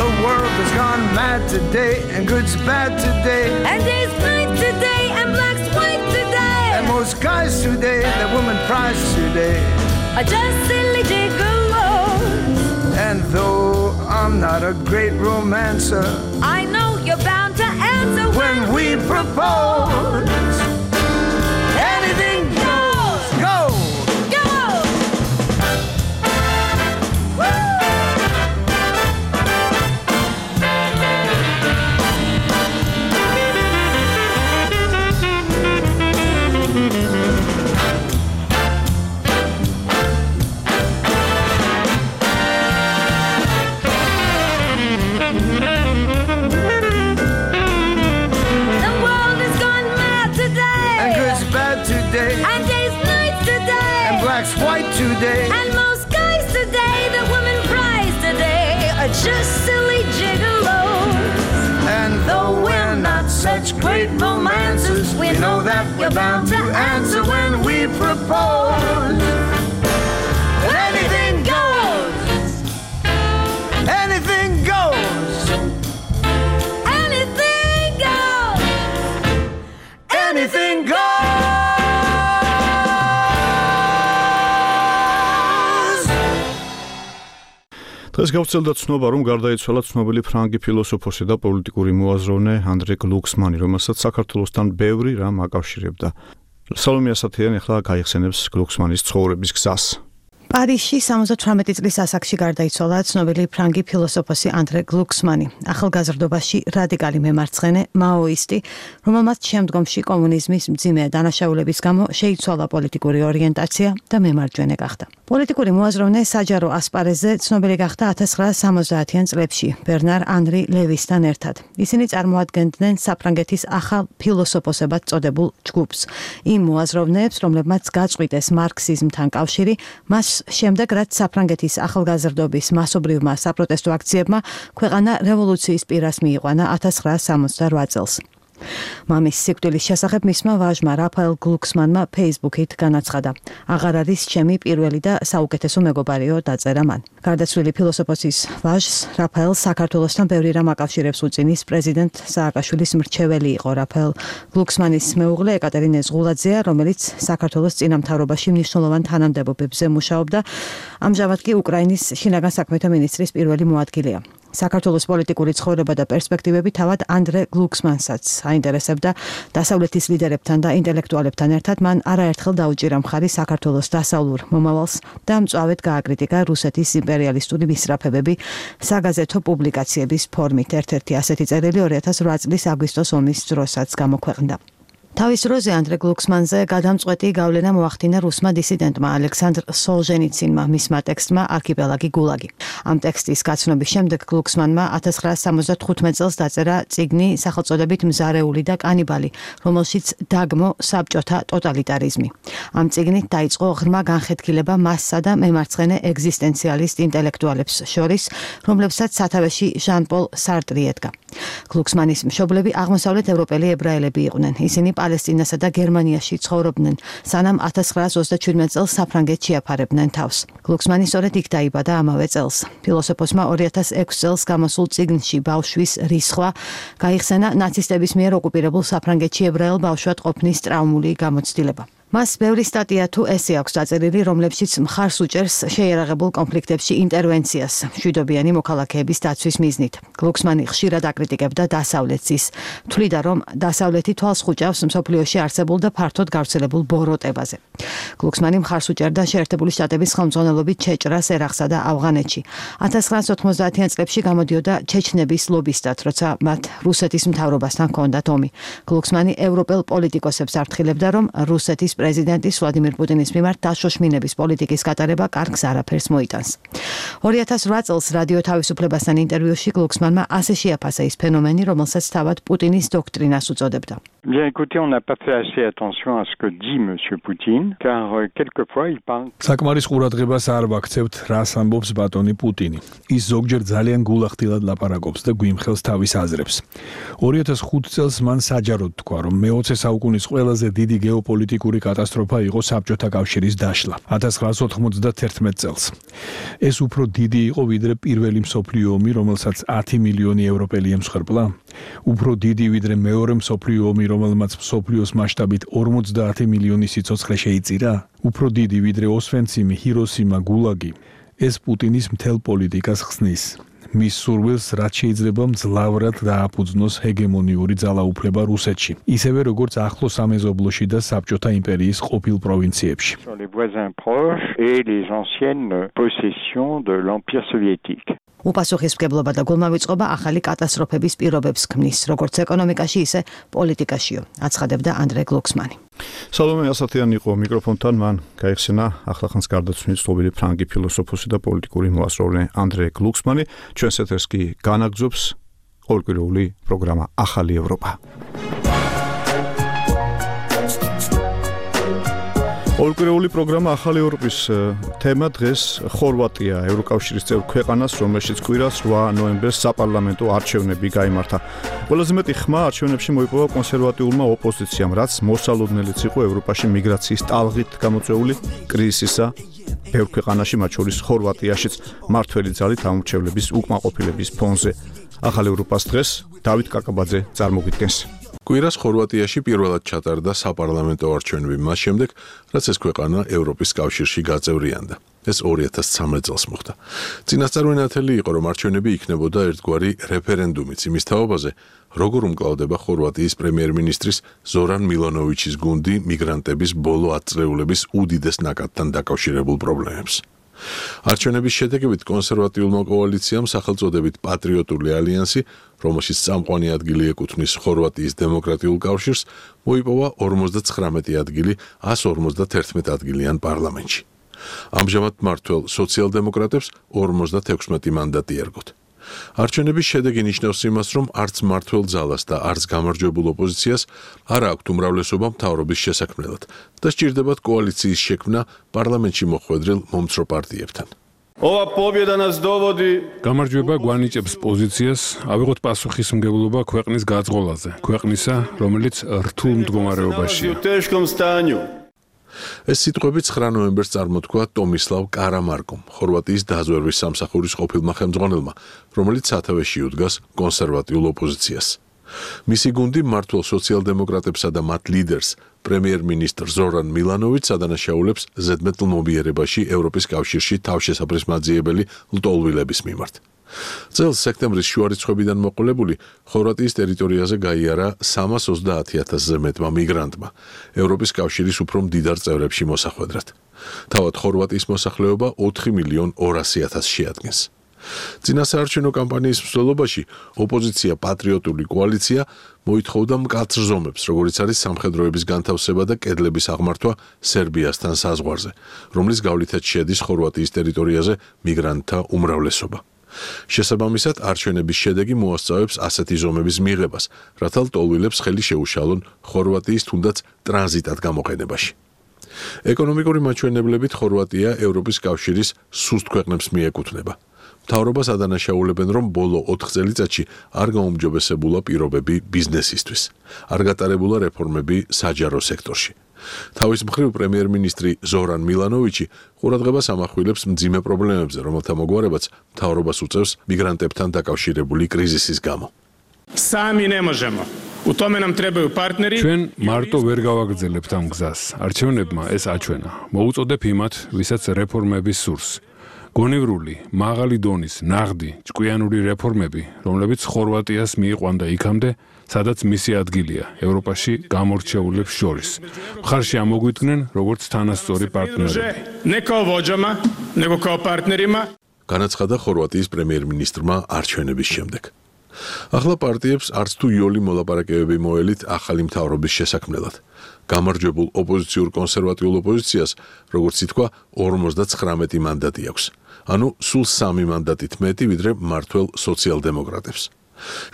P: The world has gone mad today, and good's bad today,
E: and day's night today, and black's white today.
P: And most guys today, that woman prize today,
E: are just silly gigolos.
P: And though I'm not a great romancer,
E: I know you're bound to answer
P: when, when we propose. Anything goes, go,
E: go. Woo!
P: White today,
E: and most guys today, the women prize today, are just silly gigolos.
P: And though we're not such great romancers, we know that that we're bound to answer when we propose. Anything goes. Anything goes.
E: Anything goes.
P: Anything goes.
A: დღეს გავრცელდა ცნობა, რომ გარდაიცვალა ცნობილი ფრანგი ფილოსოფოსი და პოლიტიკური მოაზროვნე ანდრე გლუქსმანი, რომელსაც საქართველოსთან ბევრი რამ აკავშირებდა. სალომე ასათიანი ახლა გაიხსენებს გლუქსმანის ცხოვრების გზას.
O: პარიზში სამოცდათვრამეტი წლის ასაკში გარდაიცვალა ცნობილი ფრანგი ფილოსოფოსი ანდრე გლუქსმანი, ახალგაზრდობაში რადიკალი მემარცხენე მაოისტი, რომელმაც შემდგომში კომუნიზმის მძიმე დანაშაულების გამო შეიცვალა პოლიტიკური ორიენტაცია და მემარჯვენე გახდა. პოლიტიკური მოაზროვნე საჯარო ასპარეზზე ცნობილი გახდა ათას ცხრაასა სამოცდაათიან წლებში ბერნარ ანრი ლევისთან ერთად. ისინი წარმოადგენდნენ საფრანგეთის ახალ ფილოსოფოსებად წოდებულ ჯგუფს. იმ მოაზროვნეებს, რომლებმაც გაწყვიტეს მარქსიზმთან კავშირი, მას შემდეგ რაც საფრანგეთის ახალგაზრდობის მასობრივმა საპროტესტო აქციებმა ქვეყანა რევოლუციის პირას მიიყვანა ათას ცხრაასა სამოცდარვა წელს. მამის სიკვდილის შესახებ მისმა ვაჟმა რაფაელ გლუქსმანმა Facebook-ით განაცხადა: "აღარ არის ჩემი პირველი და საუკეთესო მეგობარიო", დაწერა მან. გარდაცვლილი ფილოსოფოსის ვაჟს რაფაელ საქართველოსთან ბევრი რამ აკავშირებს უწინის პრეზიდენტ სააკაშვილის მრჩეველი იყო რაფაელ გლუქსმანის მეუღლე ეკატერინე ზღულაძეა, რომელიც საქართველოს წინამთავრობაში მნიშვნელოვან თანამდებობებზე მუშაობდა, ამჟამად კი უკრაინის შინაგან საქმეთა მინისტრის პირველი მოადგილეა. საქართველოს პოლიტიკური ცხოვრება და პერსპექტივები თავად ანდრე გლუქსმანსაც აინტერესებდა. დასავლეთის ლიდერებთან და ინტელექტუალებთან ერთად მან არაერთხელ დაუჭირა მხარი საქართველოს დასავლურ მომავალს და მწვავედ გააკრიტიკა რუსეთის იმპერიალისტური მისწრაფებები საგაზეთო პუბლიკაციების ფორმით. ერთ-ერთი ასეთი წერილი ორი ათას ორი წლის აგვისტოს ომის დროსაც გამოქვეყნდა. თავის დროზე ანდრე გლუქსმანზე გადამწყვეტი გავლენა მოახდინა რუსმა დისიდენტმა ალექსანდრ სოლჟენიცინმა, მისმა ტექსტმა არქიპელაგი გულაგი. ამ ტექსტის გაცნობის შემდეგ გლუქსმანმა ათას ცხრაასა სამოცდათხუთმეტ წელს დაწერა წიგნი სახელწოდებით მზარეული და კანიბალი, რომელშიც დაგმო საბჭოთა ტოტალიტარიზმი. ამ წიგნით დაიწყო ღრმა განხეთქილება მასსა და მემარცხენე ეგზისტენციალისტ ინტელექტუალებს შორის, რომლებსაც სათავეში ჟან-პოლ სარტრი ედგა. გლუქსმანის მშობლები აღმოსავლეთ ევროპელი ებრაელები იყვნენ. ისინი პალესტინასა და გერმანიაში ცხოვრობდნენ, სანამ ათას ცხრაასა ოცდაჩვიდმეტ წელს საფრანგეთში აფარებდნენ თავს. გლუქსმანი სწორედ იქ დაიბადა ამავე წელს. ფილოსოფოსმა ორი ათას ექვსი წელს გამოსულ წიგნში ბავშვის რისხვა გაიხსენა ნაცისტების მიერ ოკუპირებულ საფრანგეთში ებრაელ ბავშვად ყოფნის ტრაუმული გამოცდილება. მას ბევრი სტატია თუ ესე აქვს დაწერილი, რომლებშიც მხარს უჭერს შეიარაღებულ კონფლიქტებში ინტერვენციას მშვიდობიანი მოქალაქეების დაცვის მიზნით. გლუქსმანი ხშირად აკრიტიკებდა დასავლეთის, თვლიდა, რომ დასავლეთი თვალს ხუჭავს მსოფლიოში არსებულ და ფართოდ გავრცელებულ ბოროტებაზე. გლუქსმანი მხარს უჭერდა შეერთებული შტატების ხელმძღვანელობით ჩეჭრას ერაყსა და ავღანეთში. ათას ცხრაასა ოთხმოცდაათიან წლებში გამოდიოდა ჩეჩნების ლობისტად, როცა მათ რუსეთის მთავრობასთან ჰქონდათ ომი. გლუქსმანი ევროპელ პოლიტიკოსებს აფრთხილებდა, რომ რუსეთის პრეზიდენტის ვლადიმირ პუტინის მიმართ დაშოშმინების პოლიტიკის გატარება კარგს არაფერს მოიტანს. ორი ათას რვა წელს რადიო თავისუფლებასთან ინტერვიუში გლუქსმანმა ასე შეაფასა ის ფენომენი, რომელსაც თავად პუტინის დოქტრინას უწოდებდა.
S: Bien écoutez, on n'a pas fait assez attention à ce que dit monsieur Poutine, car euh, quelquefois il parle.
T: საკმარის ყურადღებას არ ვაქცევთ, რას ამბობს ბატონი პუტინი. ის ზოგჯერ ძალიან გულახდილად ლაპარაკობს და გვიმხელს თავის აზრებს. ორი ათას ხუთი წელს მან საჯაროდ თქვა, რომ მეოცე საუკუნის ყველაზე დიდი გეოპოლიტიკური კატასტროფა იყო საბჭოთა კავშირის დაშლა ათას ცხრაასა ოთხმოცდათერთმეტ წელს. ეს უფრო დიდი იყო ვიდრე პირველი მსოფლიო ომი, რომელსაც ათი მილიონი ევროპელი ემსხვერპლა. უფრო დიდი ვიდრე მეორე მსოფლიო ომი, რომელმაც მსოფლიოს მასშტაბით ორმოცდაათი მილიონი სიცოცხლე შეიწირა. უფრო დიდი ვიდრე ოსვენციმი, ჰიროსიმა, გულაგი. ეს პუტინის მთელ პოლიტიკას ხსნის. მის სურვილს რაც შეიძლება მძლავრად დააფუძნოს ჰეგემონიური ძალაუფლება რუსეთში, ისევე როგორც ახლო სამეზობლოში და საბჭოთა იმპერიის ყოფილ პროვინციებში.
S: Sur les voisins proches et les anciennes possessions de l'Empire soviétique.
O: უპასუხისმგებლობა და გულმავიწყობა ახალი კატასტროფების პირობებს ქმნის, როგორც ეკონომიკაში, ისე პოლიტიკაშიო, აცხადებდა ანდრე გლუქსმანი.
A: სალომე ასათიანი იყო მიკროფონთან, მან გაიხსენა ახლახანს გარდაცვლილი ცნობილი ფრანგი ფილოსოფოსი და პოლიტიკური მოაზროვნე ანდრე გლუქსმანი. ჩვენს ეთერს კი განაგრძობს ყოველკვირეული პროგრამა ახალი ევროპა. ორკვირეული პროგრამა ახალი ევროპის თემა დღეს ხორვატია, ევროკავშირის წევრ ქვეყანას, რომელშიც კვირას ორი ნოემბერს საპარლამენტო არჩევნები გაიმართა. ყველაზე მეტი ხმა არჩევნებში მოიპოვა კონსერვატიულმა ოპოზიციამ, რაც მოსალოდნელიც იყო ევროპაში მიგრაციის ტალღით გამოწვეული კრიზისისა ბევრ ქვეყანაში, მათ შორის ხორვატიაშიც მართველი ძალით ამორჩევლების უკმაყოფილების ფონზე. ახალ ევროპას დღეს დავით კაკაბაძე წარმოგიდგენს.
I: კვირას ხორვატიაში პირველად ჩატარდა საპარლამენტო არჩევნები მას შემდეგ, რაც ეს ქვეყანა ევროპის კავშირში გაწევრიანდა. ეს ორი ათას ცხრამეტ წელს მოხდა. წინასწარმეტყველი იყო, რომ არჩევნები იქნებოდა ერთგვარი რეფერენდუმიც იმის თაობაზე, როგორ უმკლავდება ხორვატიის პრემიერ-მინისტრის ზორან მილანოვიჩის გუნდი მიგრანტების ბოლო ათ წლეულების უდიდეს ნაკადთან დაკავშირებულ პრობლემებს. არჩევნების შედეგებით კონსერვატიულმა კოალიციამ სახელწოდებით პატრიოტული ალიანსი, რომელშიც წამყვანი ადგილი ეკუთვნის ხორვატიის დემოკრატიულ კავშირს, მოიპოვა ორმოცდაცხრამეტი ადგილი ას ორმოცდაათერთმეტ ადგილიან პარლამენტში. ამჟამად მმართველ სოციალ-დემოკრატებს ორმოცდათექვსმეტი მანდატი ერგოთ. არჩევნების შედეგი ნიშნავს იმას, რომ არც მმართველ ძალას და არც გამარჯვებულ ოპოზიციას არ აქვთ უმრავლესობა მთავრობის შესაქმნელად და სჭირდებათ კოალიციის შექმნა პარლამენტში მოხვედრილ მომცრო პარტიებთან.
F: Ova pobjeda nas dovodi
T: გამარჯვება გვანიჭებს პოზიციას, ავიღოთ პასუხისმგებლობა ქვეყნის გაძღოლაზე, ქვეყნისა, რომელიც რთულ მდგომარეობაშია. ეს სიტყვები ცხრა ნოემბერს წარმოთქვა ტომისლავ კარამარკომ, ხორვატიის დაზვერვის სამსახურის ყოფილმა ხელმძღვანელმა, რომელიც სათავეში უდგას კონსერვატიულ ოპოზიციას. მისი გუნდი მმართველ სოციალ-დემოკრატებსა და მათ ლიდერს, პრემიერ-მინისტრ ზორან მილანოვიჩს ადანაშაულებს ზედმეტლმობიერებაში ევროპის კავშირში თავშესაფრისმაძიებელი ლტოლვილების მიმართ. წელს სექტემბრის შუარიცხვებიდან მოყოლებული ხორვატიის ტერიტორიაზე გაიარა სამას ოცდაათი ათასზე მეტმა მიგრანტმა, ევროპის კავშირის უფრო მდიდარ წევრებში მოსახვედრად. თავად ხორვატიის მოსახლეობა ოთხი მილიონ ორასი ათასს შეადგენს. წინასაარჩევნო კამპანიის მსვლელობაში ოპოზიცია პატრიოტული კოალიცია მოითხოვდა მკაცრ ზომებს, როგორიც არის სამხედროების განთავსება და კედლების აღმართვა სერბიასთან საზღვარზე, რომლის გავლითაც შედის ხორვატიის ტერიტორიაზე მიგრანტთა უმრავლესობა. შესაბამისად, არჩევნების შედეგი მოასწავებს ასეთი ზომების მიღებას, რათა ლტოლვილებს ხელი შეუშალონ ხორვატიის თუნდაც ტრანზიტად გამოყენებაში. ეკონომიკური მაჩვენებლებით ხორვატია ევროპის კავშირის სუსტ ქვეყნებს მიეკუთვნება. მთავრობას ადანაშაულებენ, რომ ბოლო ოთხ წელიწადში არ გაუმჯობესებულა პირობები ბიზნესისთვის, არ გატარებულა რეფორმები საჯარო სექტორში. თავის მხრივ პრემიერ-მინისტრი ზორან მილანოვიჩი ყურადღებას ამახვილებს მძიმე პრობლემებზე, რომელთა მოგვარებაც მთავრობას უწევს მიგრანტებთან დაკავშირებული კრიზისის გამო.
F: Sami ne možemo. U tome nam trebaju partneri.
T: ჩვენ მარტო ვერ გავაგრძელებთ ამ გზას. არჩევნებმა ეს აჩვენა. მოუწოდებ იმათ, ვისაც რეფორმების სურს. გონევრული, მაღალი დონის, ნაღდი, ჭკვიანური რეფორმები, რომლებიც ხორვატიას მიიყვანდა იქამდე, სადაც მისი ადგილია ევროპაში გამორჩეულებს შორის. მხარში ამოგვიდგნენ როგორც თანასწორი პარტნიორები.
F: Ne kao vođama, nego kao partnerima.
I: განაცხადა ხორვატიის პრემიერ-მინისტრმა არჩევნების შემდეგ. ახლა პარტიებს არც თუ იოლი მოლაპარაკებები მოელით ახალი მთავრობის შესაქმნელად. გამარჯვებულ ოპოზიციურ კონსერვატიულ ოპოზიციას, როგორც ითქვა, ორმოცდაცხრამეტი მანდატი აქვს. ანუ სულ სამი მანდატით მეტი, ვიდრე მმართველ სოციალ-დემოკრატებს.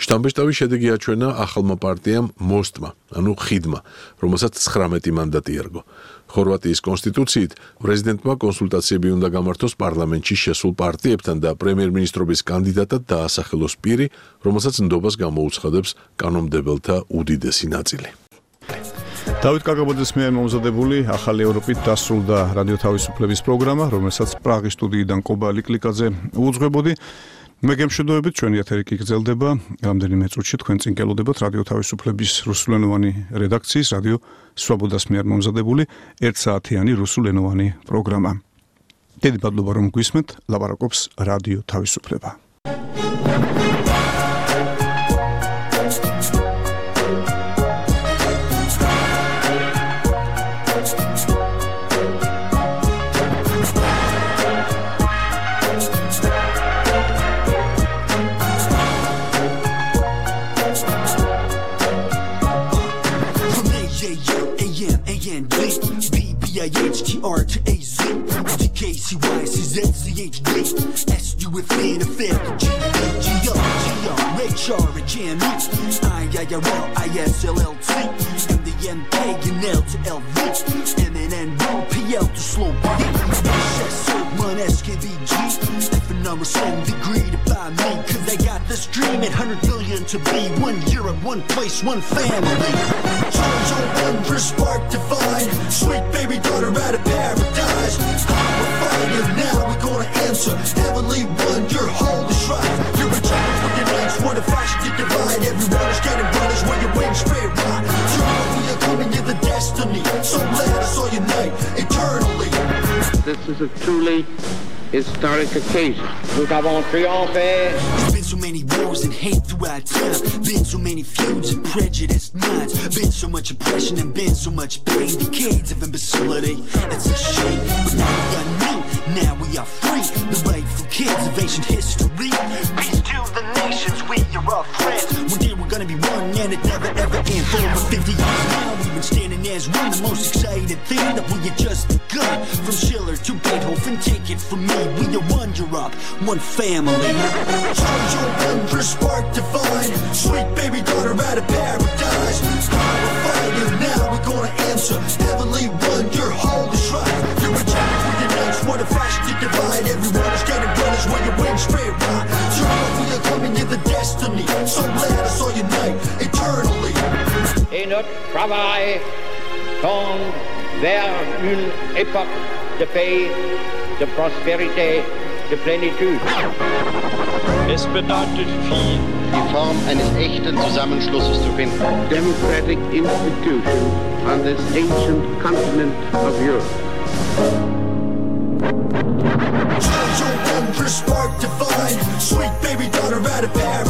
I: შტამბეშტავის შედეგი აჩვენა ახალმა პარტიამ მოსტმა, ანუ ხიდმა, რომელსაც ცხრამეტი მანდატი ერგო. ხორვატიის კონსტიტუციით პრეზიდენტმა კონსულტაციები უნდა გამართოს პარლამენტში შესულ პარტიებთან და პრემიერ-მინისტრობის კანდიდატად დაასახელოს პირი, რომელსაც ნდობას გამოუცხადებს კანონმდებელთა უდიდესი ნაწილი.
A: დავით კაკაბაძის მიერ მომზადებული ახალი ევროპით დასრულდა რადიო თავისუფლების პროგრამა, რომელსაც პრაღის სტუდიიდან კობა ლიკლიკაძე უძღვებოდი. მე გემშვიდობებით, ჩვენი ეთერი კი გრძელდება. რამდენიმე წუთში თქვენ წინ გელოდებათ რადიო თავისუფლების რუსულენოვანი რედაქციის რადიო სვაბოდას მიერ მომზადებული ერთსაათიანი რუსულენოვანი პროგრამა. დიდი მადლობა რომ გვისმენთ, ლაპარაკობს რადიო თავისუფლება.
H: H T R to A Z D K C Y C Z Z H D S U F N F F G G O G R H R G M E I I R L I S L L T and the M K and L to L V, M N N O P L to slow beat. One S K B G, F and R S M degree to buy me, cause they got this dream at one hundred billion to be one Europe, one place, one family. Charge on one for spark divine, sweet baby daughter out of paradise. We're fire now, we're gonna answer. Heavenly one, your home is right. You're a child for your legs, what a fashion to divide. Everyone is getting brothers where your wings straight right. Tomorrow we are coming to the destiny, so let us all unite eternally.
B: This is a truly historic occasion. Nous avons triomphé.
H: There's been so many wars and hate throughout time. Been so many feuds and prejudiced minds. Been so much oppression and been so much pain. Decades of imbecility. That's a shame. But now we are new. Now we are free. The rightful kids of ancient history. Peace to the nations. We are all friends. One day we're gonna be one and it never ever ends. For over fifty years now we've been standing as one. The most exciting thing that we had just begun. From Schiller to Beethoven, take it from me. We are one Europe, one family. Charge your one for spark divine, sweet baby daughter out of paradise. Power fire now, we're gonna answer. Heavenly one, your home is right. You're a child with your next, what a fashion to divide. Everyone is getting brothers where your wings straight right. Tomorrow we are coming to the destiny, so let us all unite eternally.
B: Et notre travail tend vers une époque de paix, de prospérité, de plénitude.
J: Es bedeutet viel, die Form eines echten Zusammenschlusses zu finden.
B: Democratic institution on this ancient continent of Europe.
H: Charge your one for spark divine, sweet baby daughter out of paradise.